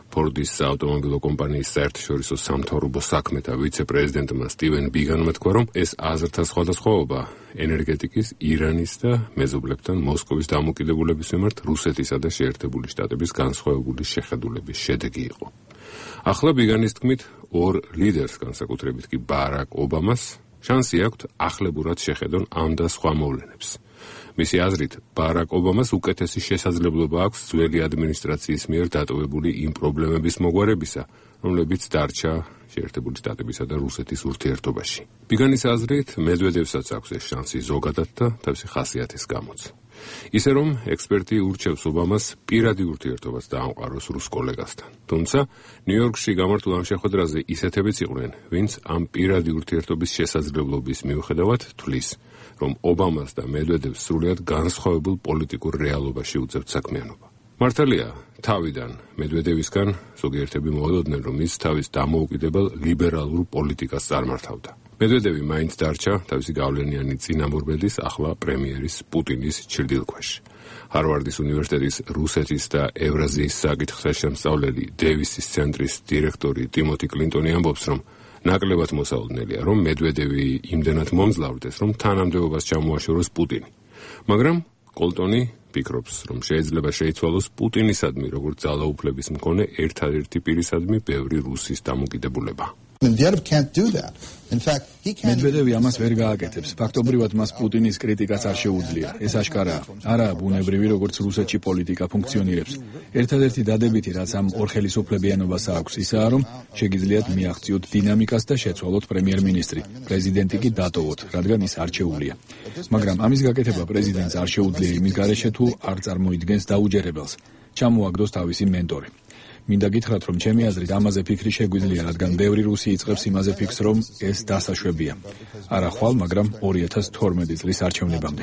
ფორდის საავტომობილო კომპანიის საერთაშორისო სამთავრობო საქმეთა ვიცე-პრეზიდენტმა სტივენ ბიგანმა თქვა, რომ ეს აზრთა სხვადასხვაობა ენერგეტიკის, ირანის და მეზობლებთან მოსკოვის დამოკიდებულების მიმართ რუსეთისა და შეერთებული შტატების განსხვავებული შეხედულების შედეგი იყო. ახლა ბიგანის თქმით, ორ ლიდერს, განსაკუთრებით კი ბარაკ ობამას, შანსი აქვთ ახლებურად შეხედონ ამ და სხვა მოვლენებს. მისი აზრით, ბარაკ ობამას უკეთესი შესაძლებლობა აქვს ძველი ადმინისტრაციის მიერ დატოვებული იმ პრობლემების მოგვარებისა, რომლებიც დარჩა შეერთებული შტატებისა და რუსეთის ურთიერთობაში. ბიგანის აზრით, მედვედევსაც აქვს ეს შანსი ზოგადად და თავისი ხასიათის გამოც. ისე რომ ექსპერტი ურჩევს ობამას პირადი ურთიერთობას დაამყაროს რუს კოლეგასთან. თუმცა ნიუ-იორკში გამართულ ამ შეხვედრაზე ისეთებიც იყვნენ, ვინც ამ პირადი ურთიერთობის შესაძლებლობის მიუხედავად თვლის, რომ ობამას და მედვედევს სრულიად განსხვავებულ პოლიტიკურ რეალობაში უწევთ საქმიანობა. მართალია, თავიდან მედვედევისგან ზოგიერთები მოელოდნენ, რომ ის თავის დამოუკიდებელ ლიბერალურ პოლიტიკას წარმართავდა. მედვედევი მაინც დარჩა თავისი გავლენიანი წინამორბედის, ახლა პრემიერის პუტინის ჩრდილქვეშ. ჰარვარდის უნივერსიტეტის რუსეთის და ევრაზიის საკითხთა შემსწავლელი დევისის ცენტრის დირექტორი ტიმოთი კლინტონი ამბობს, რომ ნაკლებად მოსაოდნელია, რომ მედვედევი იმდენად მომძლავრდეს, რომ თანამდებობას ჩამოაშოროს პუტინი. მაგრამ კოლტონი ფიქრობს, რომ შეიძლება შეიცვალოს პუტინისადმი, როგორც ძალაუფლების მქონე ერთადერთი პირისადმი ბევრი რუსის დამოკიდებულება. მედვედევი ამას ვერ გააკეთებს. ფაქტობრივად მას პუტინის კრიტიკაც არ შეუძლია. ეს აშკარაა. არა ბუნებრივი, როგორც რუსეთში პოლიტიკა ფუნქციონირებს. ერთადერთი დადებითი, რაც ამ ორხელისუფლებიანობას აქვს, ისაა, რომ შეგიძლიათ მიაღწიოთ დინამიკას და შეცვალოთ პრემიერ-მინისტრი. პრეზიდენტი კი დატოვოთ, რადგან ის არჩეულია. მაგრამ ამის გაკეთება პრეზიდენტს არ შეუძლია იმის გარეშე, თუ არ წარმოიდგენს დაუჯერებელს. ჩამოაგდოს თავისი მენტორი. მინდა გითხრათ, რომ ჩემი აზრით ამაზე ფიქრი შეგვიძლია, რადგან ბევრი რუსი იწყებს იმაზე ფიქრს, რომ ეს დასაშვებია. არა ხვალ, მაგრამ ორი ათას თორმეტი წლის არჩევნებამდე.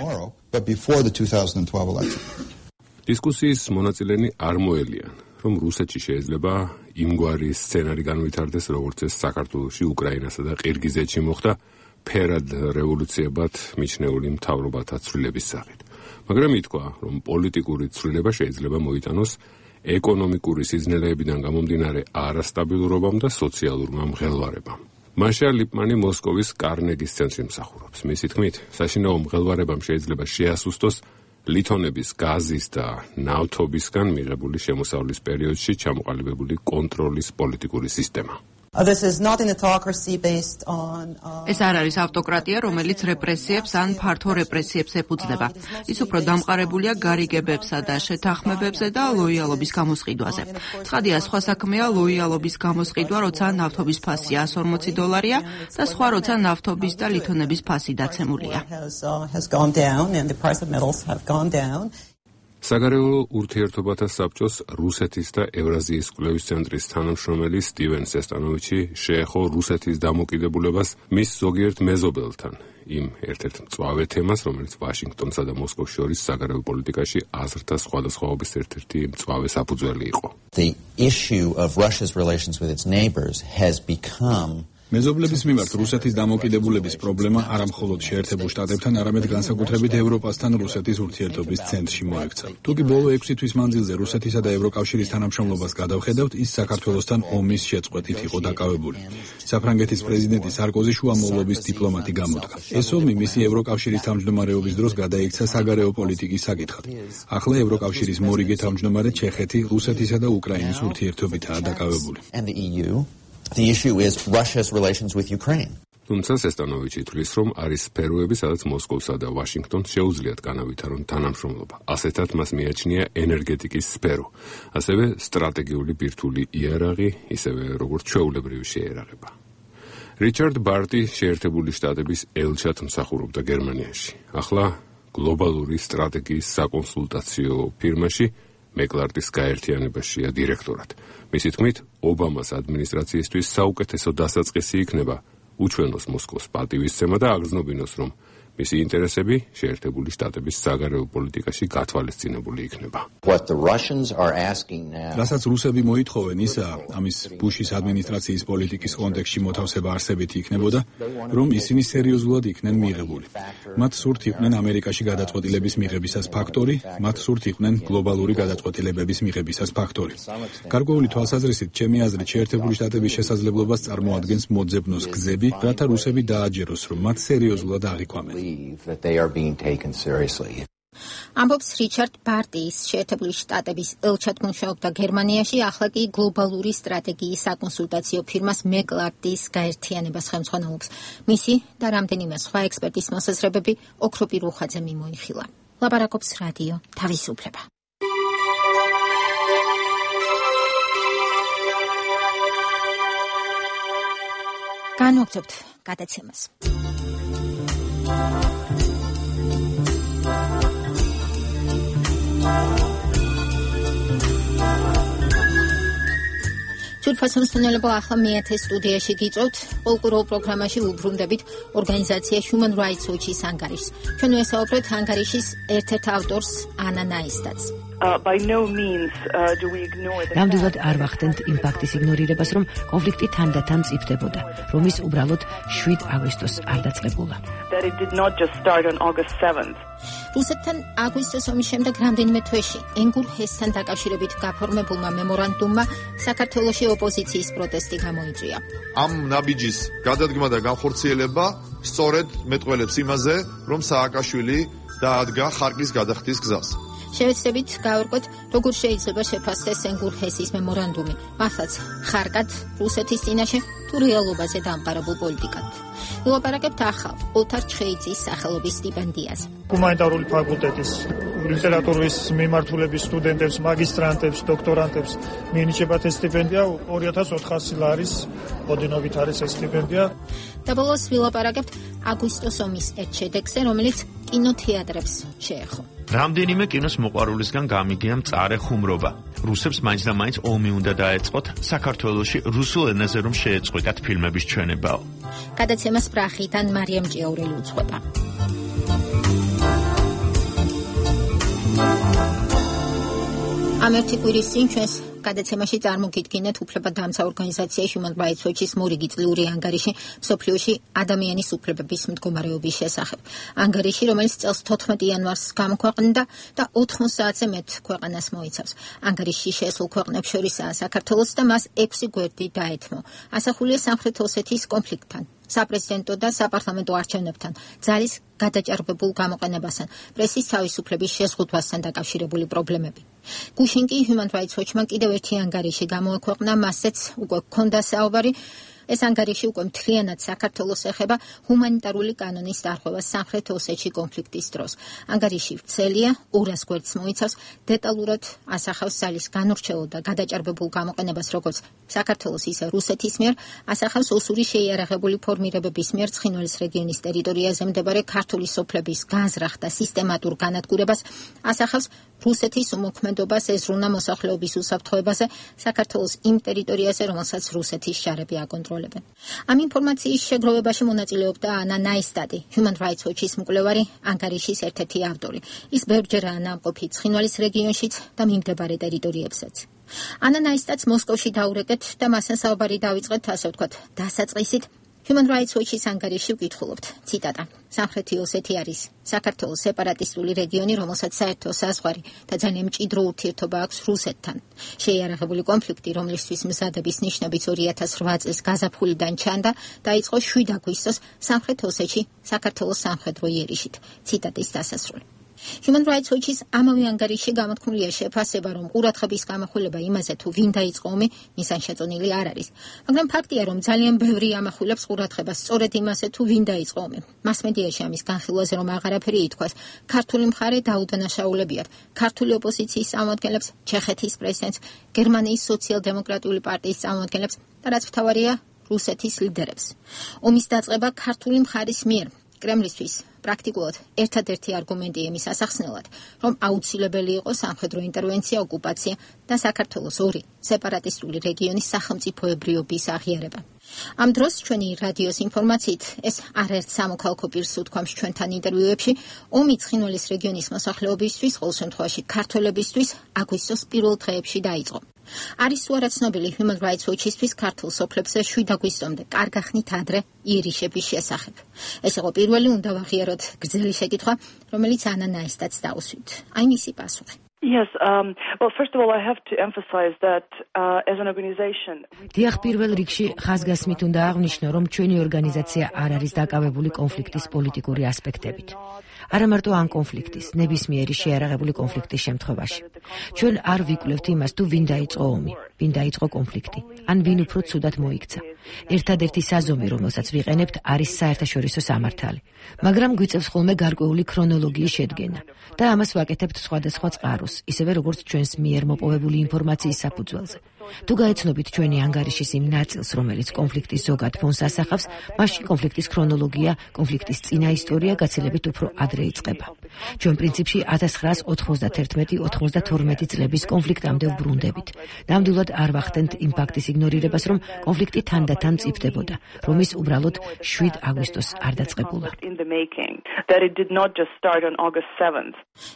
დისკუსიის მონაწილენი არ მოელიან, რომ რუსეთში შეიძლება იმგვარი სცენარი განვითარდეს, როგორც ეს საქართველოში, უკრაინასა და ყირგიზეთში მოხდა ფერად რევოლუციებად მიჩნეული მთავრობათა ცვლილების სახით. მაგრამ ითქვა, რომ პოლიტიკური ცვლილება შეიძლება მოიტანოს ეკონომიკური სიზნელეებიდან გამომდინარე არასტაბილურობამ და სოციალურმა მღელვარებამ. მაშა ლიპმანი მოსკოვის კარნეგის ცენტრში მსახურობს. მისი თქმით, საშინაო მღელვარებამ შეიძლება შეასუსტოს ლითონების გაზის და ნავთობისგან მიღებული შემოსავლის პერიოდში ჩამოყალიბებული კონტროლის პოლიტიკური სისტემა. ეს არ არის ავტოკრატია, რომელიც რეპრესიებს ან ფართო რეპრესიებს ეფუძნება. ის უფრო დამყარებულია გარიგებებსა და შეთანხმებებზე და ლოიალობის გამოსყიდვაზე. ცხადია, სხვა საქმეა ლოიალობის გამოსყიდვა, როცა ნავთობის ფასი εκατს ორმოცი დოლარია და სხვა როცა ნავთობის და ლითონების ფასი დაცემულია. საგარეულო ურთიერთობათა საბჭოს რუსეთის და ევრაზიის კვლევის ცენტრის თანამშრომელი სტივენ სესტანოვიჩი შეეხო რუსეთის დამოკიდებულებას მის ზოგიერთ მეზობელთან, იმ ერთ-ერთ მწვავე თემას, რომელიც ვაშინგტონსა და მოსკოვს შორის საგარეო პოლიტიკაში აზრთა სხვადასხვაობის ერთ-ერთი მწვავე საფუძველი იყო. The issue of Russia's relations with its neighbors has become მეზობლების მიმართ რუსეთის დამოკიდებულების პრობლემა არა მხოლოდ შეერთებულ შტატებთან, არამედ განსაკუთრებით ევროპასთან რუსეთის ურთიერთობის ცენტრში მოექცა. თუკი ბოლო ექვსი თვის მანძილზე რუსეთისა და ევროკავშირის თანამშრომლობას გადავხედავთ, ის საქართველოსთან ომის შეწყვეტით იყო დაკავებული. საფრანგეთის პრეზიდენტი სარკოზი შუამავლობის დიპლომატი გამოდგა. ეს ომი მისი ევროკავშირის თავმჯდომარეობის დროს გადაიქცა საგარეო პოლიტიკის საკითხად. ახლა ევროკავშირის მორიგე თავმჯდომარე ჩეხეთი რუსეთისა და უკრაინის ურთიერთობითაა დაკავებული. The issue is Russia's relations with Ukraine. თუმცა სესტანოვიჩი თვლის, რომ არის სფეროები, სადაც მოსკოვსა და ვაშინგტონს შეუძლიათ განავითარონ თანამშრომლობა. ასეთად მას მიაჩნია ენერგეტიკის სფერო, ასევე სტრატეგიული ბირთვული იარაღი, ისევე როგორც ჩვეულებრივი შეერაღება. რიჩარდ ბარტი შეერთებული შტატების ელჩად მსახურობდა გერმანიაში. ახლა გლობალური სტრატეგიის საკონსულტაციო ფირმაში მეკლარტის გაერთიანებაშია დირექტორად. მისი თქმით, ობამას ადმინისტრაციისთვის საუკეთესო დასაწყისი იქნება უჩვენოს მოსკოვს პატივისცემა და აგრძნობინოს, რომ მისი ინტერესები შეერთებული შტატების საგარეო პოლიტიკაში გათვალისწინებული იქნება. რასაც რუსები მოითხოვენ, ისაა, ამის ბუშის ადმინისტრაციის პოლიტიკის კონტექსტში მოთავსება არსებითი იქნებოდა, რომ ისინი სერიოზულად იქნენ მიღებული. მათ სურთ იყვნენ ამერიკაში გადაწყვეტილების მიღებისას ფაქტორი, მათ სურთ იყვნენ გლობალური გადაწყვეტილებების მიღებისას ფაქტორი. გარკვეული თვალსაზრისით, ჩემი აზრით, შეერთებული შტატების შესაძლებლობას წარმოადგენს მოძებნოს გზები, რათა რუსები დააჯეროს, რომ მათ სერიოზულად აღიქვამენ. that they are being taken seriously. ამბობს რიჩარდ ბარტის შეერთებული შტატების ელჩად მუშაობდა გერმანიაში, ახლა კი გლობალური სტრატეგიის საკონსულტაციო ფირმას მეკლარტის გაერთიანებას ხელმძღვანელობს. მისი და რამდენიმე სხვა ექსპერტის მოსაზრებები ოქროპი რუხაძე მიმოიხილა. ლაპარაკობს რადიო თავისუფლება. განვაგრძობთ გადაცემას. ჯულფასონის მცნელობა ახლა მეათე სტუდიაში გიწევთ. პოლკურულ პროგრამაში უბრუნდებით ორგანიზაცია Human Rights Watch-ის ანგარიშს. ჩვენ ვესაუბრეთ ანგარიშის ერთ-ერთ ავტორს ანა ნაისტადს. Uh, by no means uh, do we ignore the ნამდვილად არ ვახდენთ იმ ფაქტის იგნორირებას, რომ კონფლიქტი თანდათან მწიფდებოდა, რომ ის უბრალოდ შვიდ აგვისტოს არ დაწყებულა. That it did not just start on August seventh. რუსეთთან აგვისტოს ომის შემდეგ რამდენიმე თვეში ენგურ ჰესთან დაკავშირებით გაფორმებულმა მემორანდუმმა საქართველოში ოპოზიციის პროტესტი გამოიწვია. ამ ნაბიჯის გადადგმა და განხორციელება სწორედ მეტყველებს იმაზე, რომ სააკაშვილი დაადგა ხარკის გადახდის გზას. შევეცდებით გავერკვეთ, როგორ შეიძლება შეფასდეს ენგურ ჰესის მემორანდუმი, მართლაც ხარკად რუსეთის წინაშე თუ რეალობაზე დამყარებულ პოლიტიკად. ვილაპარაკებთ ახალ ოლთარ ჩხეიძის სახელობის სტიპენდიაზე. ჰუმანიტარული ფაკულტეტის ლიტერატურის მიმართულების სტუდენტებს, მაგისტრანტებს, დოქტორანტებს მიენიჭებათ ეს სტიპენდია ორი ათას ოთხასი ლარის ოდენობით არის ეს სტიპენდია. და ბოლოს ვილაპარაკებთ აგვისტოს ომის ერთ შედეგზე, რომელიც კინოთეატრებს შეეხო. რამდენიმე კინოს მოყვარულისგან გამიგია მწარე ხუმრობა. რუსებს მაინც და მაინც ომი უნდა დაეწყოთ საქართველოში რუსულ ენაზე რომ შეეწყვეტათ ფილმების ჩვენებაო. გადაცემას პრახიდან მარიამ ჭიაურელი უძღვება. ამ ერთი კვირის წინ ჩვენს გადაცემაში წარმოგიდგინეთ უფლებადამცა ორგანიზაცია Human Rights Watch-ის მორიგი წლიური ანგარიში მსოფლიოში ადამიანის უფლებების მდგომარეობის შესახებ. ანგარიში, რომელიც წელს თოთხმეტი იანვარს გამოქვეყნდა და ოთხმոც საათზე მეტ ქვეყანას მოიცავს. ანგარიში შესულ ქვეყნებს შორისაა საქართველოს და მას ექვსი გვერდი დაეთმო. ასახულია სამხრეთ ოსეთის კონფლიქტთან, საპრეზიდენტო და საპარლამენტო არჩევნებთან, ძალის გადაჭარბებულ გამოყენებასთან, პრესის თავისუფლების შეზღუდვასთან დაკავშირებული პრობლემები. გუშინ კი Human Rights Watch-მან კიდევ ერთი ანგარიში გამოაქვეყნა, მასეც უკვე ჰქონდა საუბარი. ეს ანგარიში უკვე მთლიანად საქართველოს ეხება ჰუმანიტარული კანონის დარღვევა სამხრეთ ოსეთში კონფლიქტის დროს. ანგარიში ვრცელია, ორას გვერდს მოიცავს, დეტალურად ასახავს ძალის განურჩეულ და გადაჭარბებულ გამოყენებას როგორც საქართველოს, ისე რუსეთის მიერ, ასახავს ოსური შეიარაღებული ფორმირებების მიერ ცხინვალის რეგიონის ტერიტორიაზე მდებარე ქართული სოფლების განზრახ და სისტემატურ განადგურებას, ასახავს რუსეთის უმოქმედობას ეზრუნა მოსახლეობის უსაფრთხოებაზე საქართველოს იმ ტერიტორიაზე, რომელსაც რუსეთის შარები აკონტროლებენ. ამ ინფორმაციის შეგროვებაში მონაწილეობდა ანა ნაისტადი, Human Rights Watch-ის მკვლევარი, ანგარიშის ერთ-ერთი ავტორი. ის ბევრჯერაა ნამყოფი ცხინვალის რეგიონშიც და მიმდებარე ტერიტორიებსაც. ანა ნაისტადს მოსკოვში დაურეკეთ და მასთან საუბარი დავიწყეთ, ასე ვთქვათ, დასაწყისით. Human Rights Watch-ის ანგარიში ვკითხულობთ, ციტატა. სამხრეთი ოსეთი არის საქართველოს სეპარატისტული რეგიონი, რომელსაც საერთო საზღვარი და ძალიან მჭიდრო ურთიერთობა აქვს რუსეთთან. შეიარაღებული კონფლიქტი, რომლისთვის მზადების ნიშნებიც ორი ათას რვა წლის გაზაფხულიდან ჩანდა, დაიწყო შვიდ აგვისტოს სამხრეთ ოსეთში, საქართველოს სამხედრო იერიშით. ციტატის დასასრული. Human Rights Watch-ის ამავე ანგარიში გამოთქმულია შეფასება, რომ ყურადღების გამახვილება იმაზე, თუ ვინ დაიწყო ომი, მისან შეწონილი არ არის. მაგრამ ფაქტია, რომ ძალიან ბევრი ამახვილებს ყურადღებას სწორედ იმაზე, თუ ვინ დაიწყო ომი. მასმედიაში ამის განხილვაზე რომ აღარაფერი ითქვას, ქართული მხარე დაუდანაშაულებიათ. ქართული ოპოზიციის წარმომადგენლებს, ჩეხეთის პრეზიდენტს, გერმანიის სოციალ-დემოკრატიული პარტიის წარმომადგენლებს და რაც მთავარია, რუსეთის ლიდერებს. ომის დაწყება ქართული მხარის მიერ კრემლისთვის პრაქტიკულად ერთადერთი არგუმენტი იმის ასახსნელად, რომ აუცილებელი იყო სამხედრო ინტერვენცია, ოკუპაცია და საქართველოს ორი სეპარატისტული რეგიონის სახელმწიფოებრიობის აღიარება. ამ დროს ჩვენი რადიოს ინფორმაციით ეს არაერთ სამოქალაქო პირს უთქვამს ჩვენთან ინტერვიუებში, ომი ცხინვალის რეგიონის მოსახლეობისთვის, ყოველ შემთხვევაში ქართველებისთვის აგვისტოს პირველ დღეებში დაიწყო. არის თუ არა ცნობილი Human Rights Watch-ისთვის ქართულ სოფლებზე შვიდ აგვისტომდე კარგახნით ადრე იერიშების შესახებ. ეს იყო პირველი უნდა ვაღიაროთ გრძელი შეკითხვა, რომელიც ანა ნაისტადს დაუსვით. აი მისი პასუხი. Yes, um, well, first of all, I have to emphasize that uh, as an organization... დიახ, პირველ რიგში ხაზგასმით უნდა აღვნიშნო, რომ ჩვენი ორგანიზაცია არ არის დაკავებული კონფლიქტის პოლიტიკური ასპექტებით. არა მარტო ამ კონფლიქტის, ნებისმიერი შეიარაღებული კონფლიქტის შემთხვევაში. ჩვენ არ ვიკვლევთ იმას, თუ ვინ დაიწყო ომი, ვინ დაიწყო კონფლიქტი, ან ვინ უფრო ცუდად მოიქცა. ერთადერთი საზომი, რომელსაც ვიყენებთ, არის საერთაშორისო სამართალი. მაგრამ გვიწევს ხოლმე გარკვეული ქრონოლოგიის შედგენა და ამას ვაკეთებთ სხვადასხვა წყაროს, ისევე როგორც ჩვენს მიერ მოპოვებული ინფორმაციის საფუძველზე. თუ გაეცნობით ჩვენი ანგარიშის იმ ნაწილს, რომელიც კონფლიქტის ზოგად ფონს ასახავს, მაშინ კონფლიქტის ქრონოლოგია, კონფლიქტის წინა ისტორია გაცილებით უფრო ადრე იწყება. ჩვენ პრინციპში ათას ცხრაას ოცდაათერთმეტი ოცდათორმეტი წლების კონფლიქტამდე ვბრუნდებით. ნამდვილად არ ვახდენთ იმ ფაქტის იგნორირებას, რომ კონფლიქტი თანდათან მწიფდებოდა, რომ ის უბრალოდ შვიდ აგვისტოს არ დაწყებულა.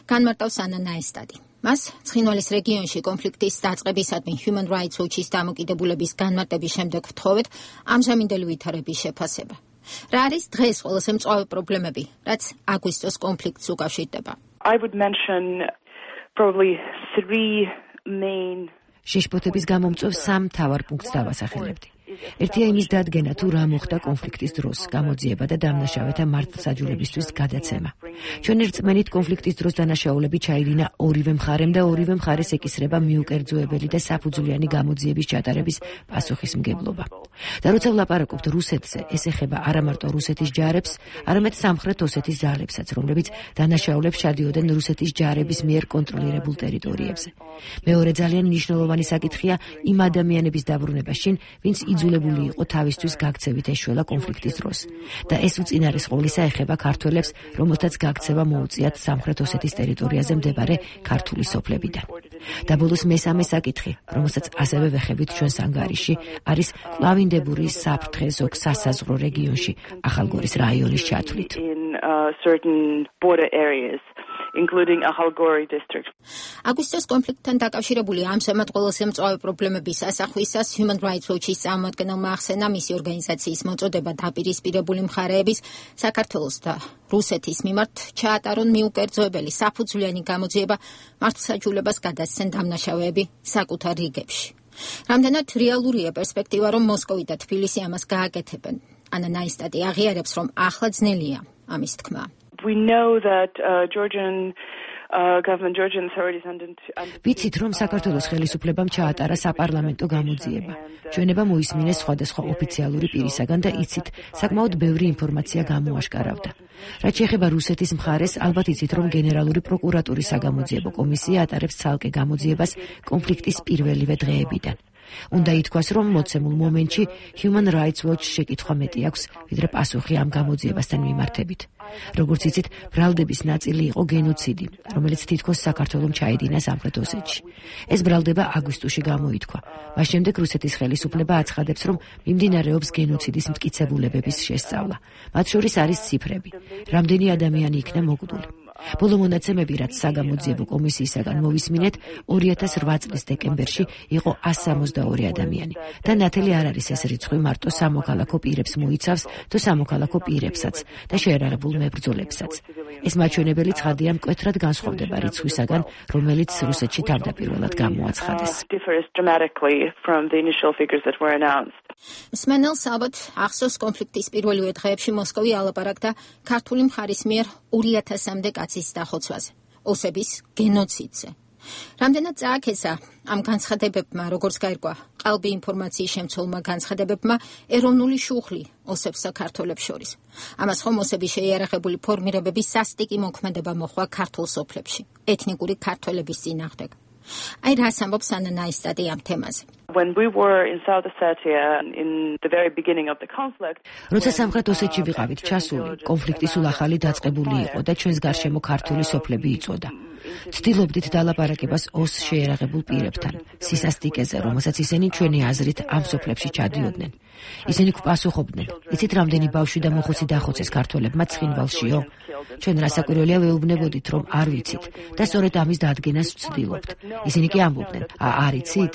განმარტავს ანა ნაისტადი. მას ცხინვალის რეგიონში კონფლიქტის დაწყებისადმი Human Rights Watch-ის დამოკიდებულების განმარტების შემდეგ ვთხოვეთ ამჟამინდელი ვითარების შეფასება. რა არის დღეს ყველაზე მწვავე პრობლემები, რაც აგვისტოს კონფლიქტს უკავშირდება? I would mention probably three main შეშფოთების გამომწვევ სამ მთავარ პუნქტს დავასახელებდი. ერთია იმის დადგენა, თუ რა მოხდა კონფლიქტის დროს, გამოძიება და დამნაშავეთა მართლმსაჯულებისთვის გადაცემა. ჩვენ ერთწმენით კონფლიქტის დროს დანაშაულები ჩაიდინა ორივე მხარემ და ორივე მხარეს ეკისრება მიუკერძოებელი და საფუძვლიანი გამოძიების ჩატარების პასუხისმგებლობა. და როცა ვლაპარაკობთ რუსეთზე, ეს ეხება არა მარტო რუსეთის ჯარებს, არამედ სამხრეთ ოსეთის ძალებსაც, რომლებიც დანაშაულებს ჩადიოდნენ რუსეთის ჯარების მიერ კონტროლირებულ ტერიტორიებზე. მეორე ძალიან მნიშვნელოვანი საკითხია იმ ადამიანების დაბრუნება შინ, ვინც იძულებული იყო თავისთვის გაქცევით ეშველა კონფლიქტის დროს. და ეს უწინარესყოლისა ეხება ქართველებს, რომელთაც გაქცევა მოუწიათ სამხრეთ ოსეთის ტერიტორიაზე მდებარე ქართული სოფლებიდან. და ბოლოს მესამე საკითხი, რომელსაც ასევე ვეხებით ჩვენს ანგარიში, არის კლავინდებურის საფრთხე ზოგ სასაზღვრო რეგიონში, ახალგორის რაიონის ჩათვლით. including Akhalgori district. აგვისტოს კონფლიქტთან დაკავშირებული ამჟამად ყველაზე მწვავე პრობლემების ასახვისას Human Rights Watch-ის წარმომადგენელმა ახსენა მისი ორგანიზაციის მოწოდება დაპირისპირებული მხარეების საქართველოს და რუსეთის მიმართ ჩაატარონ მიუკერძოებელი საფუძვლიანი გამოძიება, მართლმსაჯულებას გადასცენ დამნაშავეები საკუთარ რიგებში. რამდენად რეალურია პერსპექტივა, რომ მოსკოვი და თბილისი ამას გააკეთებენ? ანა ნაისტატი აღიარებს, რომ ახლა ძნელია ამის თქმა. We know that uh, Georgian Uh, government Georgian authorities under ვიცით, რომ საქართველოს ხელისუფლებამ ჩაატარა საპარლამენტო გამოძიება. ჩვენება მოისმინეს სხვადასხვა ოფიციალური პირისაგან და იცით, საკმაოდ ბევრი ინფორმაცია გამოაშკარავდა. რაც შეეხება რუსეთის მხარეს, ალბათ იცით, რომ გენერალური პროკურატურის საგამოძიებო კომისია ატარებს ცალკე გამოძიებას კონფლიქტის პირველივე დღეებიდან. უნდა ითქვას, რომ მოცემულ მომენტში Human Rights Watch შეკითხვა მეტი აქვს, ვიდრე პასუხი ამ გამოძიებასთან მიმართებით. როგორც იცით, ბრალდების ნაწილი იყო გენოციდი, რომელიც თითქოს საქართველომ ჩაედინა სამხრეთ ოსეთში. ეს ბრალდება აგვისტოში გამოითქვა. მას შემდეგ რუსეთის ხელისუფლება აცხადებს, რომ მიმდინარეობს გენოციდის მტკიცებულებების შესწავლა. მათ შორის არის ციფრები. რამდენი ადამიანი იქნა მოკვდული. ბოლო მონაცემები, რაც საგამოძიებო კომისიისაგან მოვისმინეთ, ორი ათას ოთხ წლის დეკემბერში იყო ასი სამოცდაორი ადამიანი და ნათელი არ არის ეს რიცხვი მარტო სამოქალაქო პირებს მოიცავს, თუ სამოქალაქო პირებსაც და შეერაღებულ მებრძოლებსაც. ეს მაჩვენებელი ცხადია მკვეთრად განსხვავდება რიცხვისაგან, რომელიც რუსეთში თავდაპირველად გამოაცხადეს. მსმენელს ალბათ ახსოვს კონფლიქტის პირველივე დღეებში მოსკოვი ალაპარაკდა ქართული მხარის მიერ ორი ათასამდე კაცის დახოცვაზე, ოსების გენოციდზე. რამდენად წააქესა ამ განცხადებებმა, როგორც გაირკვა ყალბი ინფორმაციის შემცველმა განცხადებებმა, ეროვნული შუხლი ოსებს საქართველებს შორის. ამას ხომ ოსების შეიარაღებული ფორმირებების სასტიკი მოქმედება მოხდა ქართულ სოფლებში, ეთნიკური ქართველების წინააღმდეგ. აი რას ამბობს ანა ნაისტატი ამ თემაზე. When we were in South Ossetia in the very beginning of the conflict, როცა სამხრეთ ოსეთში ვიყავით ჩასული, კონფლიქტი სულ ახალი დაწყებული იყო და ჩვენს გარშემო ქართული სოფლები იწოდა. ცდილობდით დალაპარაკებას ოს შეერაღებულ პირებთან, სისასტიკეზე, რომელსაც ისინი ჩვენი აზრით ამ სოფლებში ჩადიოდნენ. ისინი გვპასუხობდნენ, იცით რამდენი ბავშვი და მოხუცი დახოცეს ქართველებმა ცხინვალშიო? ჩვენ რასაკვირველია ვეუბნებოდით, რომ არ ვიცით და სწორედ ამის დადგენას ვცდილობთ. ისინი კი ამბობდნენ, არ იცით?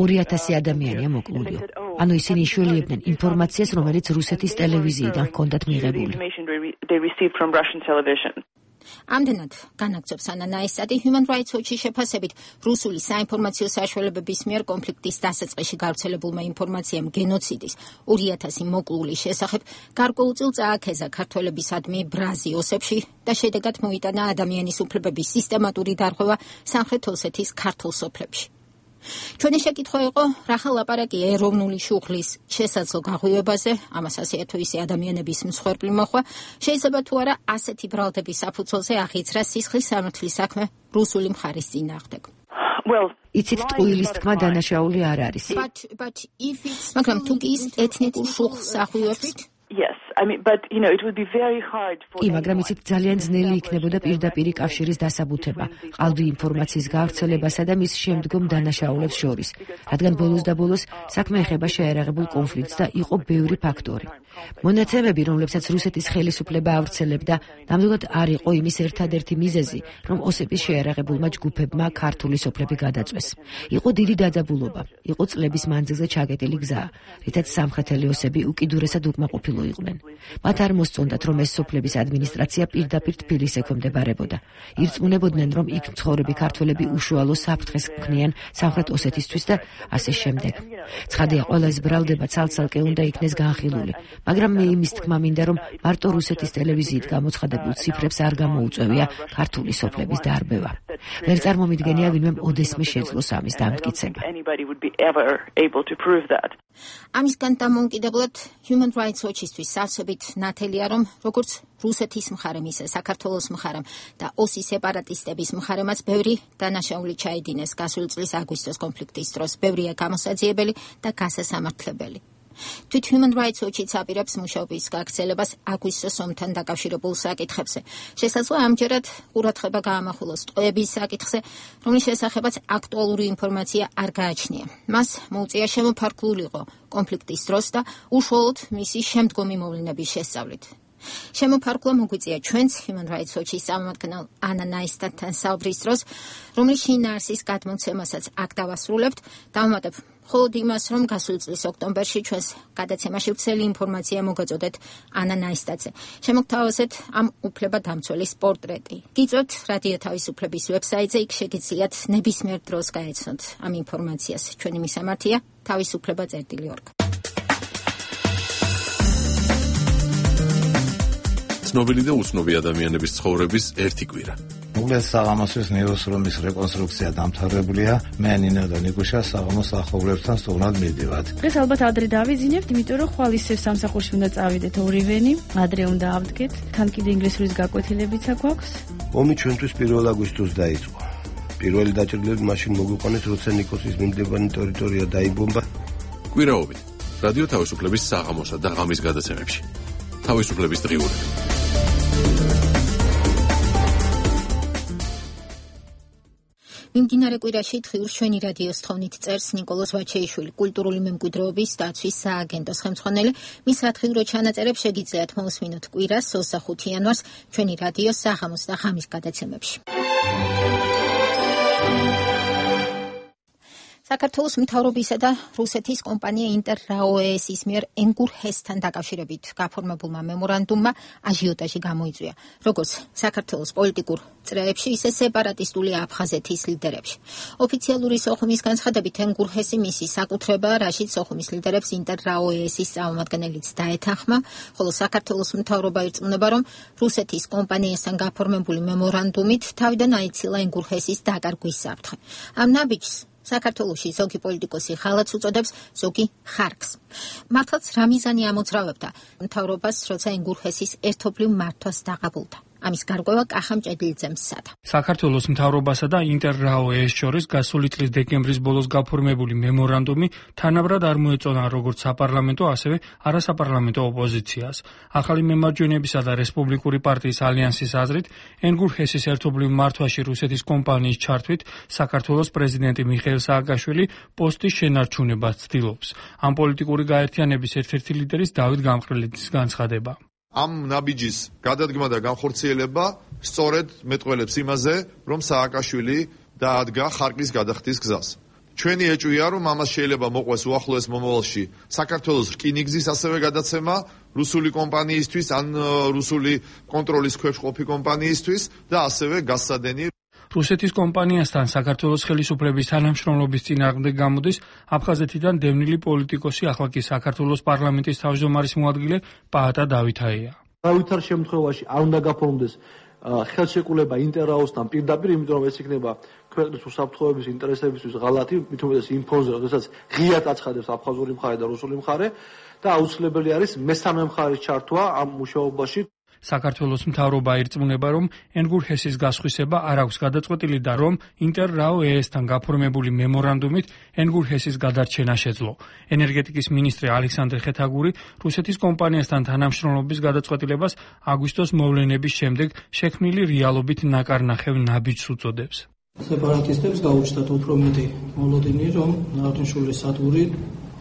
ორი ათასი ადამიანია მოკლულიო. ანუ ისინი იშველიებდნენ ინფორმაციას, რომელიც რუსეთის ტელევიზიიდან ჰქონდათ მიღებული. ამდენად განაგრძობს ანა ნაისტატი Human Rights Watch-ის შეფასებით, რუსული საინფორმაციო საშუალებების მიერ კონფლიქტის დასაწყისში გავრცელებულმა ინფორმაციამ გენოციდის ორი ათასი მოკლულის შესახებ გარკვეულწილ წააქეზა ქართველებისადმი ბრაზი ოსებში და შედეგად მოიტანა ადამიანის უფლებების სისტემატური დარღვევა სამხრეთ ოსეთის ქართულ სოფლებში. ჩვენი შეკითხვა იყო, რა ხალ ლაპარაკია ეროვნული შუხლის შესაძლო გაღვივებაზე, ამას ასე თუ ისე ადამიანების მსხვერპლი მოხვა, შეიძლება თუ არა ასეთი ბრალდების საფუძველზე აღიძრა სისხლის სამართლის საქმე რუსული მხარის წინააღმდეგ. იცით, ტყუილის თქმა დანაშაული არ არის. მაგრამ თუ კი ის ეთნიკურ შუხლს აღვივებთ, Yes, I mean, but you know, it would be very hard for. კი, მაგრამ იცით, ძალიან ძნელი იქნებოდა პირდაპირი კავშირის დასაბუთება, ყალბი ინფორმაციის გავრცელებასა და მის შემდგომ დანაშაულებს შორის, რადგან ბოლოს და ბოლოს საქმე ეხება შეერაღებულ კონფლიქტს და იყო ბევრი ფაქტორი. მონაცემები, რომლებსაც რუსეთის ხელისუფლება ავრცელებდა, ნამდვილად არ იყო იმის ერთადერთი მიზეზი, რომ ოსების შეერაღებულმა ჯგუფებმა ქართული სოფლები გადაწვეს. იყო დიდი დაძაბულობა, იყო წლების მანძილზე ჩაგეტილი გზა, რითაც სამხრეთელი ოსები უკიდურესად უკმაყოფილო იყვნენ. მათ არ მოსწონდათ, რომ ეს სოფლების ადმინისტრაცია პირდაპირ თბილისს ექვემდებარებოდა. ირწმუნებოდნენ, რომ იქ მცხოვრები ქართველები უშუალო საფრთხეს ქმნიან სამხრეთ ოსეთისთვის და ასე შემდეგ. ცხადია, ყველა ეს ბრალდება ცალ-ცალკე უნდა იქნეს განხილული, მაგრამ მე იმის თქმა მინდა, რომ მარტო რუსეთის ტელევიზიით გამოცხადებულ ციფრებს არ გამოუწევია ქართული სოფლების დარბევა. ვერ წარმომიდგენია ვინმე ოდესმე შეძლოს ამის დამტკიცება. ამისგან დამოუკიდებლად Human Rights Watch-ისთვის სავსებით ნათელია, რომ როგორც რუსეთის მხარემ, ისე საქართველოს მხარემ და ოსის სეპარატისტების მხარემაც ბევრი დანაშაული ჩაიდინეს გასული წლის აგვისტოს კონფლიქტის დროს, ბევრია გამოსაძიებელი და გასასამართლებელი. თვით Human Rights Watch-იც აპირებს მუშაობის გაგრძელებას აგვისტოს ომთან დაკავშირებულ საკითხებზე. შესაძლოა ამჯერად ყურადღება გაამახვილოს ტყვეების საკითხზე, რომლის შესახებაც აქტუალური ინფორმაცია არ გააჩნია. მას მოუწია შემოფარგლულიყო კონფლიქტის დროს და უშუალოდ მისი შემდგომი მოვლენების შესწავლით. შემოფარგლა მოგვიწია ჩვენც Human Rights Watch-ის წარმომადგენელ ანა ნაისტატთან საუბრის დროს, რომლის შინაარსის გადმოცემასაც აქ დავასრულებთ, დავუმატებ მხოლოდ იმას, რომ გასული წლის ოქტომბერში ჩვენს გადაცემაში ვრცელი ინფორმაცია მოგაწოდეთ ანა ნაისტატზე. შემოგთავაზეთ ამ უფლებადამცველის პორტრეტი. გიწევთ რადიო თავისუფლების ვებსაიტზე, იქ შეგიძლიათ ნებისმიერ დროს გაეცნოთ ამ ინფორმაციას. ჩვენი მისამართია თავისუფლება წერტილი ორგ. ცნობილი და უცნობი ადამიანების ცხოვრების ერთი კვირა. უგლეს საღამოსის ნიუსრუმის რეკონსტრუქცია დამთავრებულია. მე ნინო და ნიკუშა საღამოს ახოვლებთან სტუმრად მივდივართ. დღეს ალბათ ადრე დავიძინებთ, იმიტომ რომ ხვალ ისევ სამსახურში უნდა წავიდეთ ორივენი, ადრე უნდა ავდგეთ. თან კიდე ინგლისურის გაკვეთილებიც აქვს. ომი ჩვენთვის პირველ აგვისტოს დაიწყო. პირველი დაჭრილები მაშინ მოგვიყვანეს, როცა ნიკოსის მიმდებარე ტერიტორია დაიბომბა. კვირაობით რადიო თავისუფლების საღამოსა და ღამის გადაცემებში. თავისუფლების დღიურები. მიმდინარე კვირაში დღიურს ჩვენი რადიოს თხოვნით წერს ნიკოლოზ ვაჩეიშვილი, კულტურული მემკვიდრეობის დაცვის სააგენტოს ხელმძღვანელი. მის რადიო ჩანაწერებს შეგიძლიათ მოусმინოთ კვირას ოცდახუთი იანვარს ჩვენი რადიოს საღამოს და ღამის გადაცემებში. საქართველოს მთავრობისა და რუსეთის კომპანია ინტერრაო-ის მიერ ენგურ-ჰესთან დაკავშირებით გაფორმებულმა მემორანდუმმა აჟიოტაჟი გამოიწვია, როგორც საქართველოს პოლიტიკურ წრეებში, ისე სეპარატისტული აფხაზეთის ლიდერებში. ოფიციალური სოხუმის განცხადებით, ენგურ-ჰესი მისი საკუთრებაა, რაშიც სოხუმის ლიდერებს ინტერრაო-ის წარმომადგენელიც დაეთანხმა, ხოლო საქართველოს მთავრობა ირწმუნება, რომ რუსეთის კომპანიასთან გაფორმებული მემორანდუმით თავიდან აიცილა ენგურ-ჰესის დაკარგვის საფრთხე. ამ ნაბიჯს საქართველოში ზოგი პოლიტიკოსი ხალხს უწოდებს, ზოგი ხარკს. მართლაც რა მიზანი ამოძრავებდა მთავრობას, როცა ენგურ-ჰესის ერთობლივ მართვას დაღაბულდა. ამის გარკვევა კახა მჭედლიძემ სცადა. საქართველოს მთავრობასა და ინტერრაო-ის შორის გასული წლის დეკემბრის ბოლოს გაფორმებული მემორანდუმი თანაბრად არ მოეწონა როგორც საპარლამენტო, ასევე არასაპარლამენტო ოპოზიციას. ახალი მემარჯვენეებისა და რესპუბლიკური პარტიის ალიანსის აზრით, ენგურ-ჰესის ერთობლივ მართვაში რუსეთის კომპანიის ჩართვით საქართველოს პრეზიდენტი მიხეილ სააკაშვილი პოსტის შენარჩუნებას ცდილობს. ამ პოლიტიკური გაერთიანების ერთ-ერთი ლიდერის დავით გამყრელიძის განცხადება. ამ ნაბიჯის გადადგმა და განხორციელება სწორედ მეტყველებს იმაზე, რომ სააკაშვილი დაადგა ხარკის გადახდის გზას. ჩვენი ეჭვია, რომ ამას შეიძლება მოყვეს უახლოეს მომავალში საქართველოს რკინიგზის ასევე გადაცემა რუსული კომპანიისთვის ან რუსული კონტროლის ქვეშ ყოფი კომპანიისთვის და ასევე გაზსადენი. რუსეთის კომპანიასთან საქართველოს ხელისუფლების თანამშრომლობის წინააღმდეგ გამოდის აფხაზეთიდან დევნილი პოლიტიკოსი, ახლა კი საქართველოს პარლამენტის თავმჯდომარის მოადგილე პაატა დავითაია. არავითარ შემთხვევაში არ უნდა გაფორმდეს ხელშეკრულება ინტერრაოსთან პირდაპირ, იმიტომ რომ ეს იქნება ქვეყნის უსაფრთხოების ინტერესებისთვის ღალატი, მით უმეტეს იმ ფონზე, როდესაც ღიად აცხადებს აფხაზური მხარე და რუსული მხარე და აუცილებელი არის მესამე მხარის ჩართვა ამ მუშაობაში. საქართველოს მთავრობა ირწმუნება, რომ ენგურ-ჰესის გასხვისება არ აქვს გადაწყვეტილი და რომ ინტერრაო-ისთან გაფორმებული მემორანდუმით ენგურ-ჰესის გადარჩენა შეძლო. ენერგეტიკის მინისტრი ალექსანდრე ხეთაგური რუსეთის კომპანიასთან თანამშრომლობის გადაწყვეტილებას აგვისტოს მოვლენების შემდეგ შექმნილი რეალობით ნაკარნახევ ნაბიჯს უწოდებს. სეპარატისტებს გაუჩნდათ უფრო მეტი მოლოდინი, რომ ნაღვთნიშვილის სადგური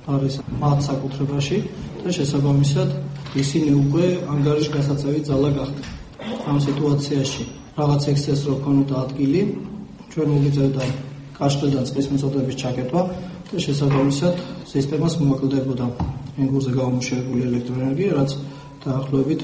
არის მათ საკუთრებაში და შესაბამისად ისინი უკვე ანგარიშ გასაწევი ძალა გახდნენ. ამ სიტუაციაში რაღაც ექსცესს რო ქონოდა ადგილი, ჩვენ მოგიწევდა კაშხლიდან წყლის მიწოდების ჩაკეტვა და შესაბამისად სისტემას მოაკლდებოდა ენგურზე გამომუშავებული ელექტროენერგია, რაც დაახლოებით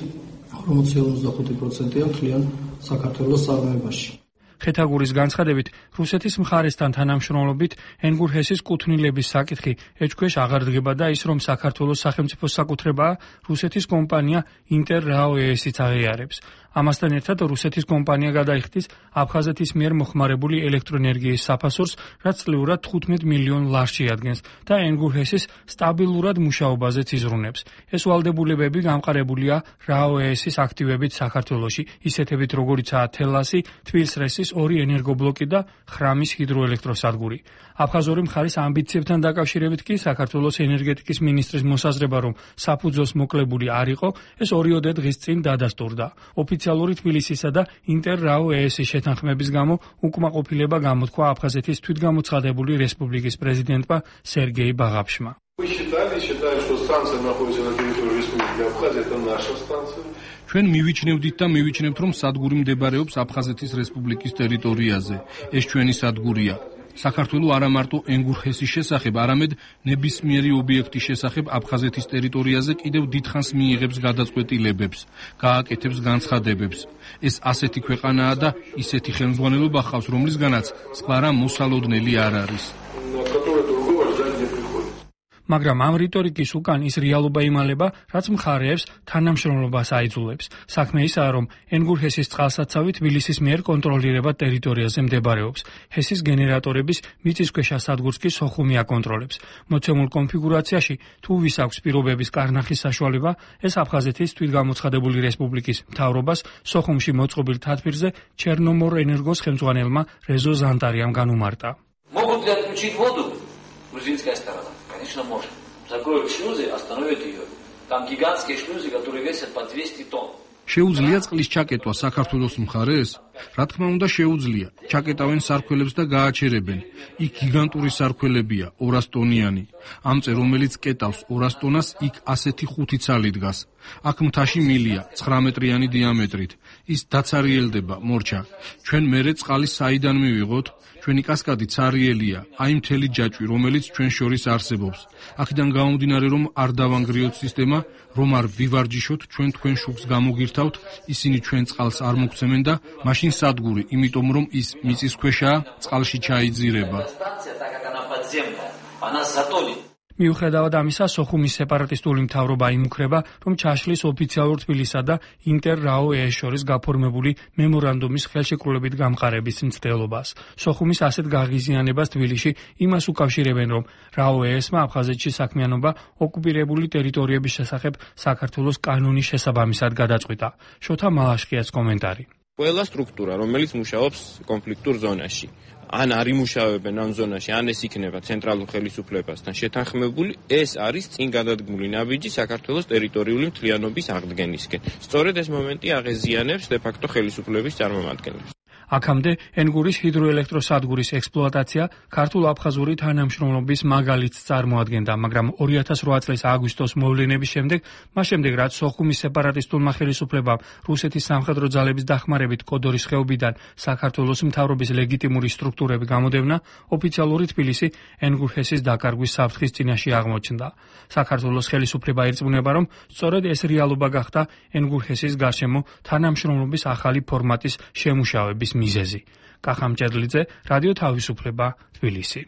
ორმოცდახუთი პროცენტია მთლიან საქართველოს წარმოებაში. ხეთაგურის განცხადებით, რუსეთის მხარესთან თანამშრომლობით ენგურ-ჰესის კუთვნილების საკითხი ეჭქვეშ აღარ დგება და ის, რომ საქართველოს სახელმწიფოს საკუთრებაა, რუსეთის კომპანია ინტერრაო-ისიც აღიარებს. ამასთან ერთად რუსეთის კომპანია გადაიხდის აფხაზეთის მიერ მოხმარებული ელექტროენერგიის საფასურს, რაც წლიურად თხუთმეტ მილიონ ლარს შეადგენს და ენგურ-ჰესის სტაბილურად მუშაობაზეც იზრუნებს. ეს ვალდებულებები გამყარებულია რაო-ისის აქტივებით საქართველოში, ისეთებით როგორიცაა თელასი, თბილისრესის ორი ენერგობლოკი და ხრამის ჰიდროელექტროსადგური. აფხაზური მხარის ამბიციებთან დაკავშირებით კი საქართველოს ენერგეტიკის მინისტრის მოსაზრება, რომ საფუძველს მოკლებული არ იყო, ეს ორიოდე დღის წინ დადასტურდა. ოფიციალური თბილისისა და ინტერრაო-ისის შეთანხმების გამო უკმაყოფილება გამოთქვა აფხაზეთის თვითგამოცხადებული რესპუბლიკის პრეზიდენტმა სერგეი ბაღაფშმა. ჩვენ მივიჩნევდით და მივიჩნევთ, რომ სადგური მდებარეობს აფხაზეთის რესპუბლიკის ტერიტორიაზე. ეს ჩვენი სადგურია. საქართველოს არა მარტო ენგურ-ჰესის შესახებ, არამედ ნებისმიერი ობიექტის შესახებ აფხაზეთის ტერიტორიაზე კიდევ დიდხანს მიიღებს გადაწყვეტილებებს, გააკეთებს განცხადებებს. ეს ასეთი ქვეყანაა და ისეთი ხელმძღვანელობა ჰყავს, რომლისგანაც სხვა რა მოსალოდნელი არ არის. მაგრამ ამ რიტორიკის უკან ის რეალობა იმალება, რაც მხარეებს თანამშრომლობას აიძულებს. საქმე ისაა, რომ ენგურ ჰესის წყალსაცავი თბილისის მიერ კონტროლირებად ტერიტორიაზე მდებარეობს. ჰესის გენერატორების მიწისქვეშა სადგურს კი სოხუმი აკონტროლებს. მოცემულ კონფიგურაციაში თუ ვის აქვს პირობების კარნახის საშუალება, ეს აფხაზეთის თვითგამოცხადებული რესპუბლიკის მთავრობას სოხუმში მოწყობილ თათბირზე ჩერნომორ ენერგოს ხელმძღვანელმა რეზო ზანტარიამ განუმარტა. Могут ли отключить воду? Грузинская сторона. Конечно, может. Закроют шлюзы, остановят ее. Там гигантские шлюзы, которые весят по двести тонн. შეუძლია წყლის ჩაკეტვა საქართველოს მხარეს? რა თქმა უნდა შეუძლია. ჩაკეტავენ სარქველებს და გააჩერებენ. იქ გიგანტური სარქველებია, ორას ტონიანი. ამწე რომელიც კეტავს ორას ტონას, იქ ასეთი ხუთი ცალი დგას. აქ მთაში მილია, ცხრა მეტრიანი დიამეტრით. ის დაცარიელდება, მორჩა. ჩვენ მერე წყალი საიდან მივიღოთ? ჩვენი კასკადი ცარიელია, აი მთელი ჯაჭვი, რომელიც ჩვენ შორის არსებობს. აქედან გამომდინარე, რომ არ დავანგრიოთ სისტემა, რომ არ ვივარჯიშოთ, ჩვენ თქვენ შუქს გამოგირთავთ, ისინი ჩვენ წყალს არ მოგცემენ და მაშინ სადგური, იმიტომ რომ ის მიწისქვეშაა, წყალში ჩაიძირება. მიუხედავად ამისა, სოხუმის სეპარატისტული მთავრობა იმუქრება, რომ ჩაშლის ოფიციალურ თბილისსა და ინტერ-რაო-ეეს შორის გაფორმებული მემორანდუმის ხელშეკრულებით გამყარების მცდელობას. სოხუმის ასეთ გაღიზიანებას თბილისში იმას უკავშირებენ, რომ რაო-ეესმა აფხაზეთში საქმიანობა ოკუპირებული ტერიტორიების შესახებ საქართველოს კანონის შესაბამისად გადაწყვიტა. შოთა მალაშხიას კომენტარი. ყველა სტრუქტურა, რომელიც მუშაობს კონფლიქტურ ზონაში, ან არ იმუშავებენ ამ ზონაში, ან ეს იქნება ცენტრალურ ხელისუფლებასთან შეთანხმებული, ეს არის წინ გადადგმული ნაბიჯი საქართველოს ტერიტორიული მთლიანობის აღდგენისკენ. სწორედ ეს მომენტი აღეზიანებს დე-ფაქტო ხელისუფლების წარმომადგენლებს. აქამდე ენგურის ჰიდროელექტროსადგურის ექსპლუატაცია ქართულ-აფხაზური თანამშრომლობის მაგალითს წარმოადგენდა, მაგრამ ორი ათას რვა წლის აგვისტოს მოვლენების შემდეგ, მას შემდეგ რაც სოხუმის სეპარატისტულმა ხელისუფლებამ რუსეთის სამხედრო ძალების დახმარებით კოდორის ხეობიდან საქართველოს მთავრობის ლეგიტიმური სტრუქტურები გამოდევნა, ოფიციალური თბილისი ენგურ ჰესის დაკარგვის საფრთხის წინაშე აღმოჩნდა. საქართველოს ხელისუფლება ირწმუნება, რომ სწორედ ეს რეალობა გახდა ენგურ ჰესის გარშემო თანამშრომლობის ახალი ფორმატის შემუშავების მიზეზი. კახამ ჭედლიძე, რადიო თავისუფლება, თბილისი.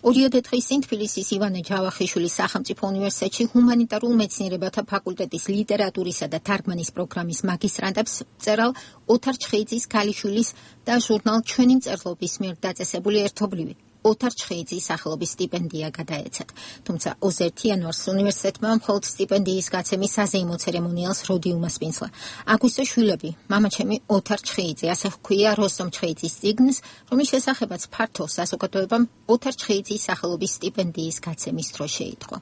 ორიოდე დღის წინ თბილისის ივანე ჯავახიშვილის სახელმწიფო უნივერსიტეტში ჰუმანიტარულ მეცნიერებათა ფაკულტეტის ლიტერატურისა და თარგმანის პროგრამის მაგისტრანტებს მწერალ ოთარ ჩხეიძის ქალიშვილის და ჟურნალ ჩვენი მწერლობის მიერ დაწესებული ერთობლივი ოთარ ჩხეიძის სახელობის სტიპენდია გადაეცათ. თუმცა ოცი იანვარს უნივერსიტეტმა მხოლოდ სტიპენდიის გაცემის საზეიმო ცერემონიალს როდი უმასპინძლა. აგვისტოს შვილები, მამაჩემი ოთარ ჩხეიძე, ასე ჰქვია როსტომ ჩხეიძის წიგნს, რომლის შესახებაც ფართო საზოგადოებამ ოთარ ჩხეიძის სახელობის სტიპენდიის გაცემის დრო შეიტყო.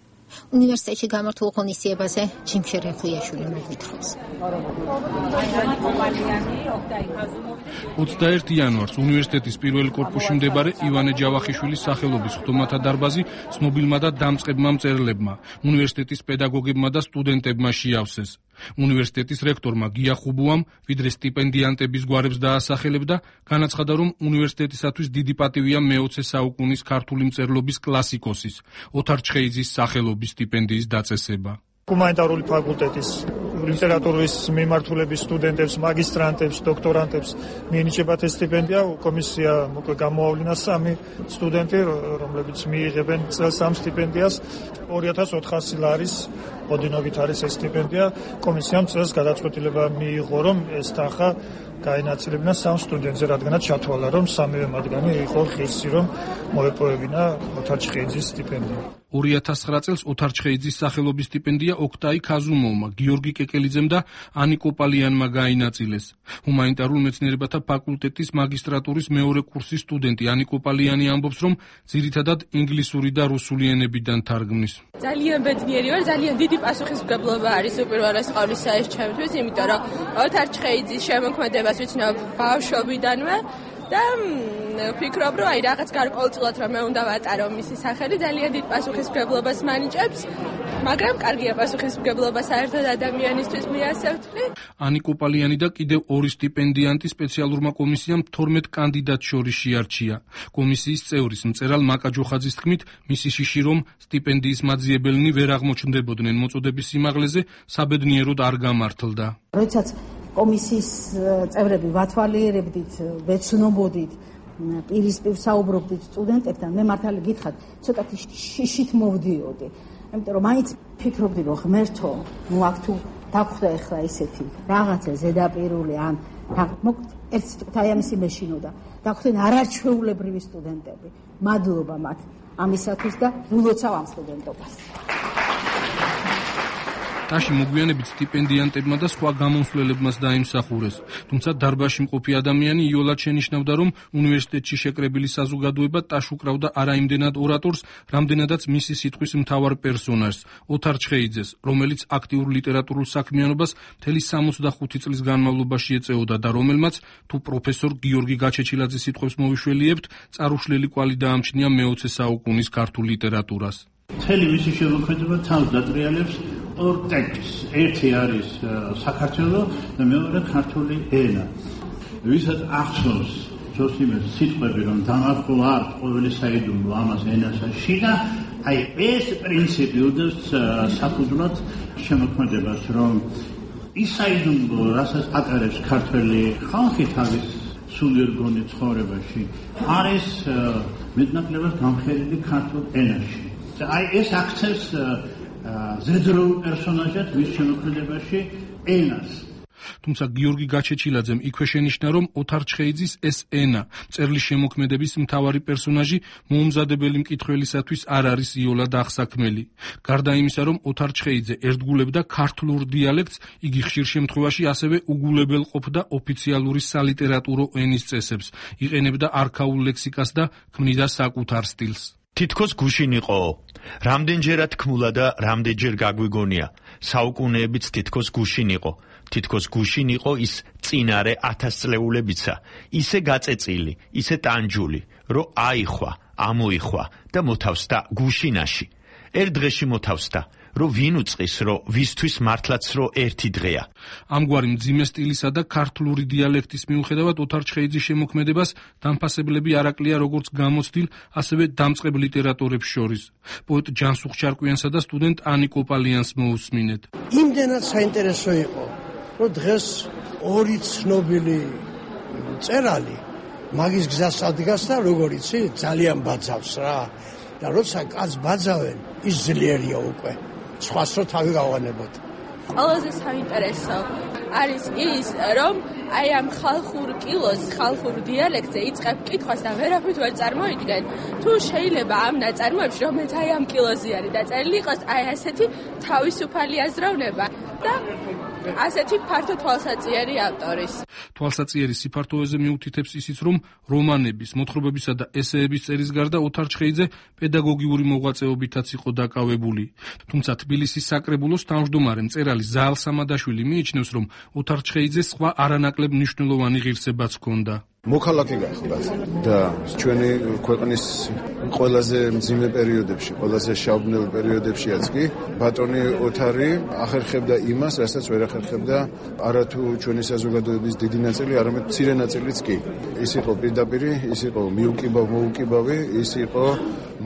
უნივერსიტეტში გამართულ ღონისძიებაზე ჯიმშე რეხუიაშვილი მოგვითხრობს. ოცდაერთი იანვარს უნივერსიტეტის პირველ კორპუსში მდებარე ივანე ჯავახიშვილის სახელობის ხტომათა დარბაზი ცნობილმა და დამწყებმა მწერლებმა, უნივერსიტეტის პედაგოგებმა და სტუდენტებმა შეავსეს. უნივერსიტეტის რექტორმა გია ხუბუამ ვიდრე სტიპენდიანტების გვარებს დაასახელებდა, განაცხადა, რომ უნივერსიტეტისათვის დიდი პატივია მეოცე საუკუნის ქართული მწერლობის კლასიკოსის ოთარ ჩხეიძის სახელობის სტიპენდიის დაწესება. ჰუმანიტარული ფაკულტეტის ლიტერატურის მიმართულების სტუდენტებს, მაგისტრანტებს, დოქტორანტებს მიენიჭებათ ეს სტიპენდია. კომისია მოკლე გამოავლინა სამი სტუდენტი, რომლებიც მიიღებენ წელს ამ სტიპენდიას. ორი ათას ოთხასი ლარის ოდენობით არის ეს სტიპენდია. კომისიამ წელს გადაწყვეტილება მიიღო, რომ ეს თანხა გაენაწილებინა სამ სტუდენტზე, რადგანაც ჩათვალა, რომ სამივე მათგანი იყო ღირსი, რომ მოეპოვებინა ოთარ ჩხეიძის სტიპენდია. ორი ათას ცხრა წელს ოთარ ჩხეიძის სახელობის სტიპენდია ოქტაი ქაზუმოვმა, გიორგი კეკელიძემ და ანიკო პალიანმა გაინაწილეს. ჰუმანიტარულ მეცნიერებათა ფაკულტეტის მაგისტრატურის მეორე კურსის სტუდენტი ანიკო პალიანი ამბობს, რომ ძირითადად ინგლისური და რუსული ენებიდან თარგმნის. ძალიან ბედნიერი ვარ, ძალიან დიდი პასუხისმგებლობა არის უპირველეს ყოვლისა ჩემთვის, იმიტომ რომ ოთარ ჩხეიძის შემოქმედებას ვიცნობ ბავშვობიდანვე და ვფიქრობ, რომ აი რაღაც გარკვეულწილად რომ მე უნდა ვატარო მისი სახელი, ძალიან დიდ პასუხისმგებლობას მანიჭებს, მაგრამ კარგია პასუხისმგებლობა საერთოდ ადამიანისთვის მიასევთლი. ანიკო პალიანი და კიდევ ორი სტიპენდიანტი სპეციალურმა კომისიამ თორმეტ კანდიდატს შორის შეარჩია. კომისიის წევრის მწერალ მაკა ჯოხაძის თქმით, მისი შიში რომ სტიპენდიის მაძიებელნი ვერ აღმოჩნდებოდნენ მოწოდების სიმაღლეზე, საბედნიეროდ არ გამართლდა. როდესაც კომისიის წევრები ვათვალიერებდით, ვეცნობოდით, პირისპირ საუბრობდით სტუდენტებთან, მე მართალი გითხრათ, ცოტათი შიშით მოვდიოდი. იმიტომ რომ მაინც ფიქრობდი, რომ ღმერთო, ნუ აქ თუ დაგხვდა ახლა ისეთი რაღაცა ზედაპირული ან მოკლედ ერთ სიტყვით აი ამისი მეშინოდა. დაგხვდნენ არაჩვეულებრივი სტუდენტები. მადლობა მათ ამისათვის და ვილოცავ ამ სტუდენტობას. ტაში მოგვიანებით სტიპენდიანტებმა და სხვა გამომსვლელებმაც დაიმსახურეს. თუმცა დარბაზში მყოფი ადამიანი იოლად შენიშნავდა, რომ უნივერსიტეტში შეკრებილი საზოგადოება ტაშ უკრავდა არა იმდენად ორატორს, რამდენადაც მისი სიტყვის მთავარ პერსონაჟს, ოთარ ჩხეიძეს, რომელიც აქტიურ ლიტერატურულ საქმიანობას მთელი სამოცდახუთი წლის განმავლობაში ეწეოდა და რომელმაც თუ პროფესორ გიორგი გაჩეჩილაძის სიტყვებს მოვიშველიებთ, წარუშლელი კვალი დაამჩნია მეოცე საუკუნის ქართულ ლიტერატურას. მთელი მისი შემოქმედება თავს დატრიალებს ორ ტექსტს. ერთი არის საქართველო და მეორე ქართული ენა. ვისაც ახსოვს ჯოსიმეს სიტყვები, რომ დამარღვართ ყოველი საიდუმლო ამას ენასაში და აი ეს პრინციპი უდევს საფუძვლად შემოქმედებას, რომ ის საიდუმლო, რასაც ატარებს ქართველი ხალხი თავის სულიერგონი ცხოვრებაში, არის მეტნაკლებად გამხელილი ქართულ ენაში. აი ეს აქცევს ზედროულ პერსონაჟად მის შემოქმედებაში ენას. თუმცა გიორგი გაჩეჩილაძემ იქვე შენიშნა, რომ ოთარ ჩხეიძის ეს ენა, მწერლის შემოქმედების მთავარი პერსონაჟი, მოუმზადებელი მკითხველისათვის არ არის იოლად აღსაქმელი. გარდა იმისა, რომ ოთარ ჩხეიძე ერთგულებდა ქართლურ დიალექტს, იგი ხშირ შემთხვევაში ასევე უგულებელ ყოფდა ოფიციალური სალიტერატურო ენის წესებს, იყენებდა არქაულ ლექსიკას და ქმნიდა საკუთარ სტილს. თითქოს გუშინ იყო. რამდენჯერად თქმულა და რამდენჯერ გაგვიგონია. საუკუნეებიც თითქოს გუშინ იყო. თითქოს გუშინ იყო ის წინარე ათასწლეულებიცა, ისე გაწეწილი, ისე ტანჯული, რომ აიხვა, ამოიხვა და მოთავსდა გუშინაში. ერთ დღეში მოთავსდა, რომ ვინ უწყის, რომ ვისთვის მართლაც რომ ერთი დღეა. ამგვარი მძიმე სტილისა და ქართლური დიალექტის მიუხედავად ოთარ ჩხეიძის შემოქმედებას დამფასებლები არ აკლია როგორც გამოცდილ, ასევე დამწყებ ლიტერატორებს შორის. პოეტ ჯანსუღ ჩარკვიანსა და სტუდენტ ანი კოპალიანს მოусმინეთ. იმდენად საინტერესო იყო, რომ დღეს ორი ცნობილი მწერალი მაგის გზას ადგას და როგორ იცი, ძალიან ბაძავს რა. და როცა კაც ბაძავენ, ის ძლიერია უკვე. სხვას რო თავი გავანებოთ. ყველაზე საინტერესო არის ის, რომ აი ამ ხალხურ კილოს, ხალხურ დიალექტზე იწყებ კითხვას და ვერაფრით ვერ წარმოიდგენ. თუ შეიძლება ამ ნაწარმოებში, რომელიც აი ამ კილოზე არის დაწერილი, იყოს აი ასეთი თავისუფალი აზროვნება და ასეთი ფართო თვალსაჩინო ავტორის. თვალსაჩინო სიფართოეზე მიუთითებს ისიც, რომ რომანების, მოთხრობებისა და ესეების წერის გარდა ოთარ ჩხეიძე პედაგოგიური მოღვაწეობითაც იყო დაკავებული. თუმცა თბილისის საკრებულოს თავმჯდომარე მწერალი ზაალ სამადაშვილი მიიჩნევს, რომ ოთარ ჩხეიძეს სხვა არანაკლებ მნიშვნელოვანი ღირსებაც ჰქონდა. მოქალაქე გახლდათ და ჩვენი ქვეყნის ყველაზე მძიმე პერიოდებში, ყველაზე შავბნელ პერიოდებშიაც კი ბატონი ოთარი ახერხებდა იმას, რასაც ვერ ახერხებდა არათუ ჩვენი საზოგადოების დიდი ნაწილი, არამედ მცირე ნაწილიც კი. ის იყო პირდაპირი, ის იყო მიუკიბავ-მოუკიბავი, ის იყო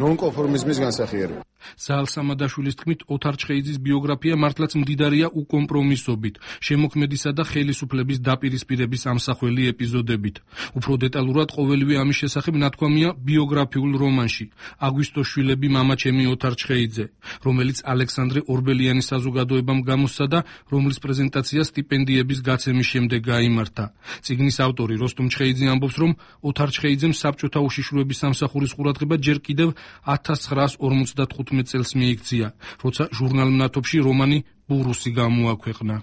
ნონკონფორმიზმის განსახიერება. ზაალ სამადაშვილის თქმით, ოთარ ჩხეიძის ბიოგრაფია მართლაც მდიდარია უკომპრომისობით, შემოქმედისა და ხელისუფლების დაპირისპირების ამსახველი ეპიზოდებით. უფრო დეტალურად ყოველივე ამის შესახებ ნათქვამია ბიოგრაფიულ რომანში „აგვისტოს შვილები მამაჩემი ოთარ ჩხეიძე“, რომელიც ალექსანდრე ორბელიანის საზოგადოებამ გამოსცა და რომლის პრეზენტაცია სტიპენდიების გაცემის შემდეგ გაიმართა. წიგნის ავტორი როსტომ ჩხეიძე ამბობს, რომ ოთარ ჩხეიძემ საბჭოთა უშიშროების სამსახურის ყურადღება ჯერ კიდევ ათას ცხრაას ორმოცდათხუთმეტ წელს მიიქცია, როცა ჟურნალ „მნათობში“ რომანი „ბურუსი“ გამოაქვეყნა.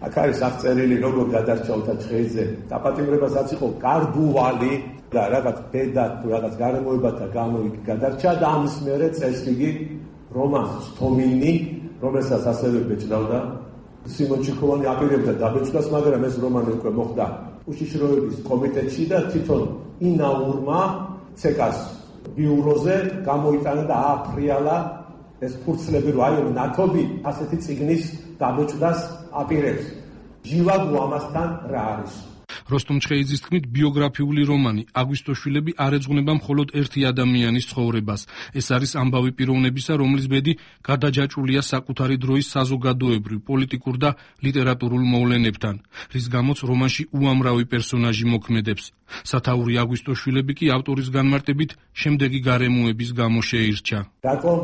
აქ არის აღწერილი, როგორ გადარჩა ოთარ ჩხეიძე. დაპატიმრებასაც იყო კარგუვალი და რაღაც ბედა თუ რაღაც გარემოებათა გამო იქ გადარჩა და ამის მერე წელს იგი რომანს „თომინი“, რომელსაც ასევე ბეჭდავდა. სიმონ ჩიქოვანი აპირებდა დაბეჭდას, მაგრამ ეს რომანი უკვე მოხდა უშიშროების კომიტეტში და თვითონ ინაურმა ცეკას ბიუროზე გამოიტანა და ააფრიალა ეს ფურცლები, რომ აი ნათობი ასეთი წიგნის დაბეჭდას აპირებს. ჯივაგუ ამასთან რა არის? როსტომ ჩხეიძის თქმით, ბიოგრაფიული რომანი აგვისტოშვილები არ ეძღვნება მხოლოდ ერთი ადამიანის ცხოვრებას. ეს არის ამბავი პიროვნებისა, რომლის ბედი გადაჯაჭვულია საკუთარი დროის საზოგადოებრივ, პოლიტიკურ და ლიტერატურულ მოვლენებთან, რის გამოც რომანში უამრავი პერსონაჟი მოქმედებს. სათაური აგვისტოშვილები კი ავტორის განმარტებით შემდეგი გარემოების გამო შეირჩა. რატომ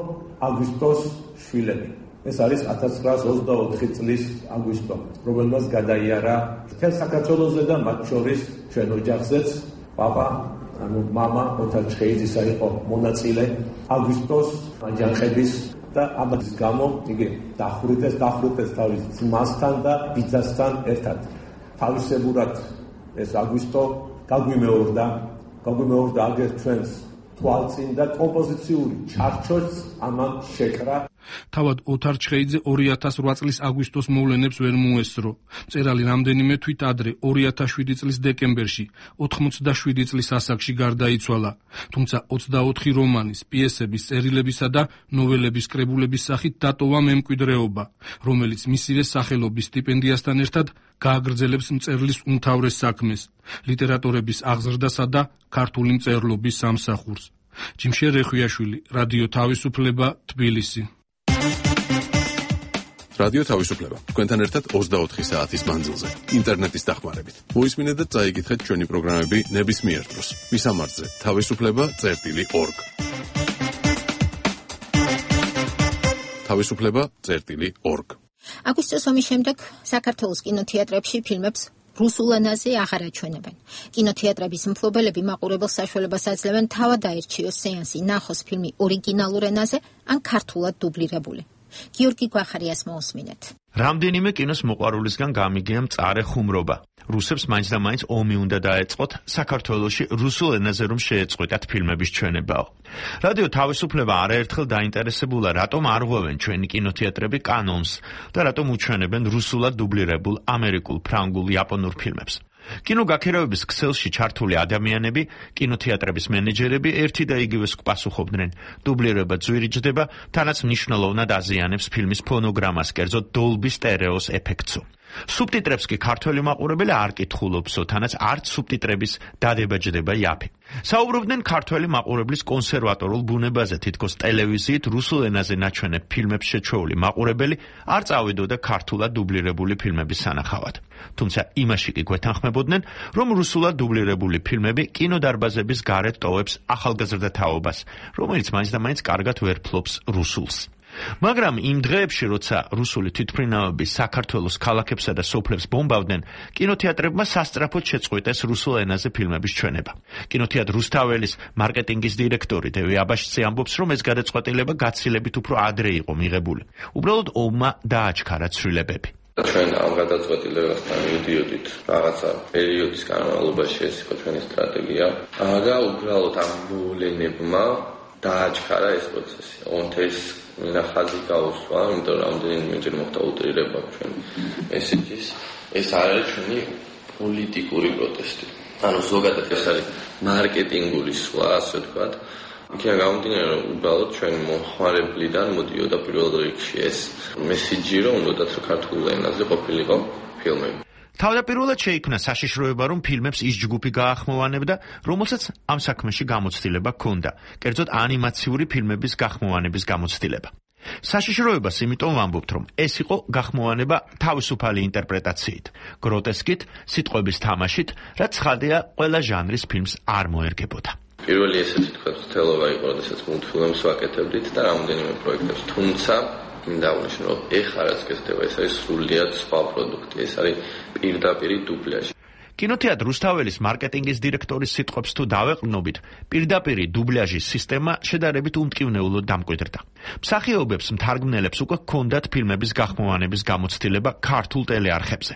აგვისტოს შვილები? ეს არის ათას ცხრაას ოცდაოთხი წლის აგვისტო, რომელმაც გადაიარა მთელ საქართველოზე და მათ შორის ჩვენ ოჯახზეც. პაპა, ანუ მამა ოთარ ჩხეიძისა იყო მონაწილე აგვისტოს აჯანყების და ამის გამო იგი დახვრიტეს, დახვრიტეს თავის ძმასთან და ბიძასთან ერთად. თავისებურად ეს აგვისტო გაგვიმეორდა, გაგვიმეორდა აგერ ჩვენს თვალწინ და კომპოზიციური ჩარჩოც ამან შეკრა. თავად ოთარ ჩხეიძე ორი ათას რვა წლის აგვისტოს მოვლენებს ვერ მოესწრო. მწერალი რამდენიმე თვით ადრე ორი ათას შვიდი წლის დეკემბერში ოთხმოცდაშვიდი წლის ასაკში გარდაიცვალა. თუმცა ოცდაოთხი რომანის, პიესების, წერილებისა და ნოველების კრებულების სახით დატოვა მემკვიდრეობა, რომელიც მისივე სახელობის სტიპენდიასთან ერთად გააგრძელებს მწერლის უმთავრეს საქმეს, ლიტერატორების აღზრდასა და ქართული მწერლობის სამსახურს. ჯიმშე რეხვიაშვილი, რადიო თავისუფლება, თბილისი. რადიო თავისუფლება. თქვენთან ერთად ოცდაოთხი საათის მანძილზე, ინტერნეტის დახმარებით. მოისმინეთ და წაიკითხეთ ჩვენი პროგრამები ნებისმიერ დროს. მისამართზე თავისუფლება წერტილი ორგ. თავისუფლება წერტილი ორგ. აგვისტოს ომის შემდეგ საქართველოს კინოთეატრებში ფილმებს რუსულ ენაზე აღარ აჩვენებენ. კინოთეატრების მფლობელები მაყურებელს საშუალებას აძლევენ თავად აერჩიოს სეანსი, ნახოს ფილმი ორიგინალურ ენაზე ან ქართულად დუბლირებული. გიორგი გვახარიას მოусმინეთ. რამდენიმე კინოს მოყვარულისგან გამიგია მწარე ხუმრობა. რუსებს მაინც და მაინც ომი უნდა დაეწყოთ საქართველოში რუსულ ენაზე რომ შეეწყვეტათ ფილმების ჩვენებაო. რადიო თავისუფლება არაერთხელ დაინტერესებულა, რატომ არ ღვევენ ჩვენი კინოთეატრები კანონს და რატომ უჩვენებენ რუსულად დუბლირებულ ამერიკულ, ფრანგულ, იაპონურ ფილმებს. კინოგაქირავების ქსელში ჩართული ადამიანები, კინოთეატრების მენეჯერები ერთი და იგივეს პასუხობდნენ. დუბლირება ძვირიჯდება, თანაც მნიშვნელოვნად აზიანებს ფილმის ფონოგრამას, კერძოდ დოლბი სტერეოს ეფექტსო. სუბტიტრებს კი ქართველი მაყურებელი არ კითხულობსო, თანაც არც სუბტიტრების დადება ჯდება იაფი. საუბრობდნენ ქართველი მაყურებლის კონსერვატორულ ბუნებაზე, თითქოს ტელევიზიით რუსულ ენაზე ნაჩვენებ ფილმებს შეჩვეული მაყურებელი არ წავიდოდა ქართულად დუბლირებული ფილმების სანახავად. თუმცა იმაში კი გვეთანხმებოდნენ, რომ რუსულად დუბლირებული ფილმები კინოდარბაზების გარეთ ტოვებს ახალგაზრდა თაობას, რომელიც მაინც და მაინც კარგად ვერ ფლობს რუსულს. მაგრამ იმ დღეებში, როცა რუსული თვითმფრინავები საქართველოს ქალაქებსა და სოფლებს ბომბავდნენ, კინოთეატრებმა სასწრაფოდ შეწყვეტეს რუსულ ენაზე ფილმების ჩვენება. კინოთეატრ რუსთაველის მარკეტინგის დირექტორი დევი აბაშიძე ამბობს, რომ ეს გადაწყვეტილება გაცილებით უფრო ადრე იყო მიღებული. უბრალოდ ომმა დააჩქარა ცვლილებები. ჩვენ ამ გადაწყვეტილებასთან მივდიოდით რაღაცა პერიოდის განმავლობაში, ეს იყო ჩვენი სტრატეგია და უბრალოდ ამ მოვლენებმა დააჩქარა ეს პროცესი. ონთეს ხაზი გაუსვა, იმიტომ რომ რამდენიმეჯერ მოხდა უტრირება ჩვენ მესეჯის. ეს არ არის ჩვენი პოლიტიკური პროტესტი. ანუ ზოგადად ეს არის მარკეტინგული სვლა, ასე ვთქვათ. იქიდან გამომდინარე, რომ უბრალოდ ჩვენ მოხმარებლიდან მოდიოდა პირველ რიგში ეს მესეჯი, რომ უნდათ რომ ქართულ ენაზე ყოფილიყო ფილმები. თავდაპირველად შეიქმნა საშიშროება, რომ ფილმებს ის ჯგუფი გაახმოვანებდა, რომელსაც ამ საქმეში გამოცდილება ჰქონდა, კერძოდ ანიმაციური ფილმების გახმოვანების გამოცდილება. საშიშროებას იმიტომ ვამბობთ, რომ ეს იყო გახმოვანება თავისუფალი ინტერპრეტაციით, გროტესკით, სიტყვების თამაშით, რაც ცხადია ყველა ჟანრის ფილმს არ მოერგებოდა. პირველი ესეთი თქვა თელობა იყო, როდესაც მულტფილმებს ვაკეთებდით და რამდენიმე პროექტებს, თუმცა მინდა აღნიშნო, რომ ეხლა რაც გესდება, ეს არის სრულიად სხვა პროდუქტი, ეს არის პირდაპირი დუბლაჟი. კინოთეატრ რუსთაველის მარკეტინგის დირექტორის სიტყვებს თუ დავეყრდნობით, პირდაპირი დუბლაჟის სისტემა შედარებით უმტკივნეულოდ დამკვიდრდა. მსახიობებს, მთარგმნელებს უკვე ჰქონდათ ფილმების გახმოვანების გამოცდილება ქართულ ტელეარხებზე.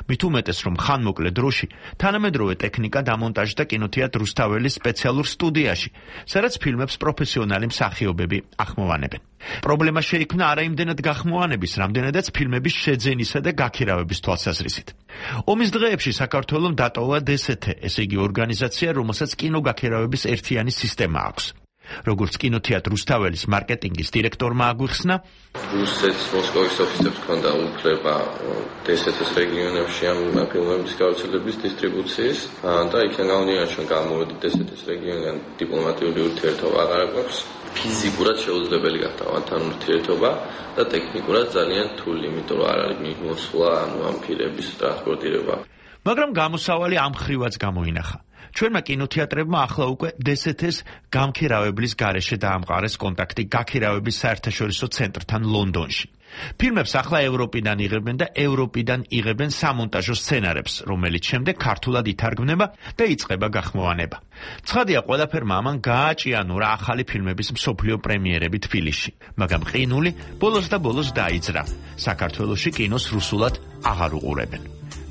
მით უმეტეს, რომ ხანმოკლე დროში თანამედროვე ტექნიკა დამონტაჟდა კინოთეატრ რუსთაველის სპეციალურ სტუდიაში, სადაც ფილმებს პროფესიონალი მსახიობები ახმოვანებენ. პრობლემა შეიქმნა არა იმდენად გახმოვანების, რამდენადაც ფილმების შეძენისა და გაქირავების თვალსაზრისით. ომის დღეებში საქართველომ დატოვა დე ეს ეთე, ესე იგი ორგანიზაცია, რომელსაც კინოგაქირავების ერთიანი სისტემა აქვს. როგორც კინოთეატრ რუსთაველის მარკეტინგის დირექტორმა აგვიხსნა, რუსეთის მოსკოვის ოფისებს ჰქონდა უფლება დსთ-ის რეგიონებში ამ ფილმების გავრცელების დისტრიბუციის და იქიდან გამომდინარე ჩვენ გამოვედით დსთ-ის რეგიონიდან დიპლომატიური ურთიერთობა აღარ აქვს. ფიზიკურად შეუძლებელი გახდა მათთან ურთიერთობა და ტექნიკურად ძალიან რთული, იმიტომ რომ არ არის მიმოსვლა ანუ ამ ფილმების ტრანსპორტირება. მაგრამ გამოსავალი ამ ხრივაც გამოინახა. ჩვენმა კინოთეატრებმა ახლა უკვე დსთ-ის გამქირავებლის გარეშე დაამყარეს კონტაქტი გაქირავების საერთაშორისო ცენტრთან ლონდონში. ფილმებს ახლა ევროპიდან იღებენ და ევროპიდან იღებენ სამონტაჟო სცენარებს, რომელიც შემდეგ ქართულად ითარგმნება და იწყება გახმოვანება. ცხადია, ყველაფერმა ამან გააჭიანურა ახალი ფილმების მსოფლიო პრემიერები თბილისში, მაგრამ ყინული ბოლოს და ბოლოს დაიძრა. საქართველოში კინოს რუსულად აღარ უყურებენ.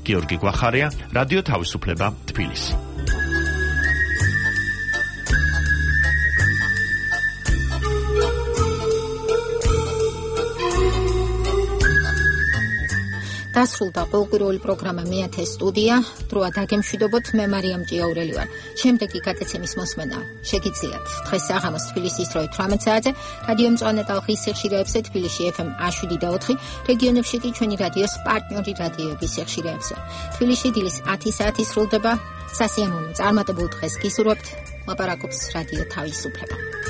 გიორგი გვახარია, რადიო თავისუფლება, თბილისი. დასრულდა ყოველკვირეული პროგრამა მეათე სტუდია. დროა დაგემშვიდობოთ, მე მარიამ ჭიაურელი ვარ. შემდეგი გადაცემის მოსმენა შეგიძლიათ დღეს საღამოს თბილისის დროით თვრამეტ საათზე, რადიო მწვანე ტალღის სიხშირეებზე თბილისში ეფ ემ შვიდ და ოთხი, რეგიონებში კი ჩვენი რადიოს პარტნიორი რადიოების სიხშირეებზე. თბილისში დილის ათი საათი სრულდება. სასიამოვნო წარმატებულ დღეს გისურვებთ. ლაპარაკობს რადიო თავისუფლება.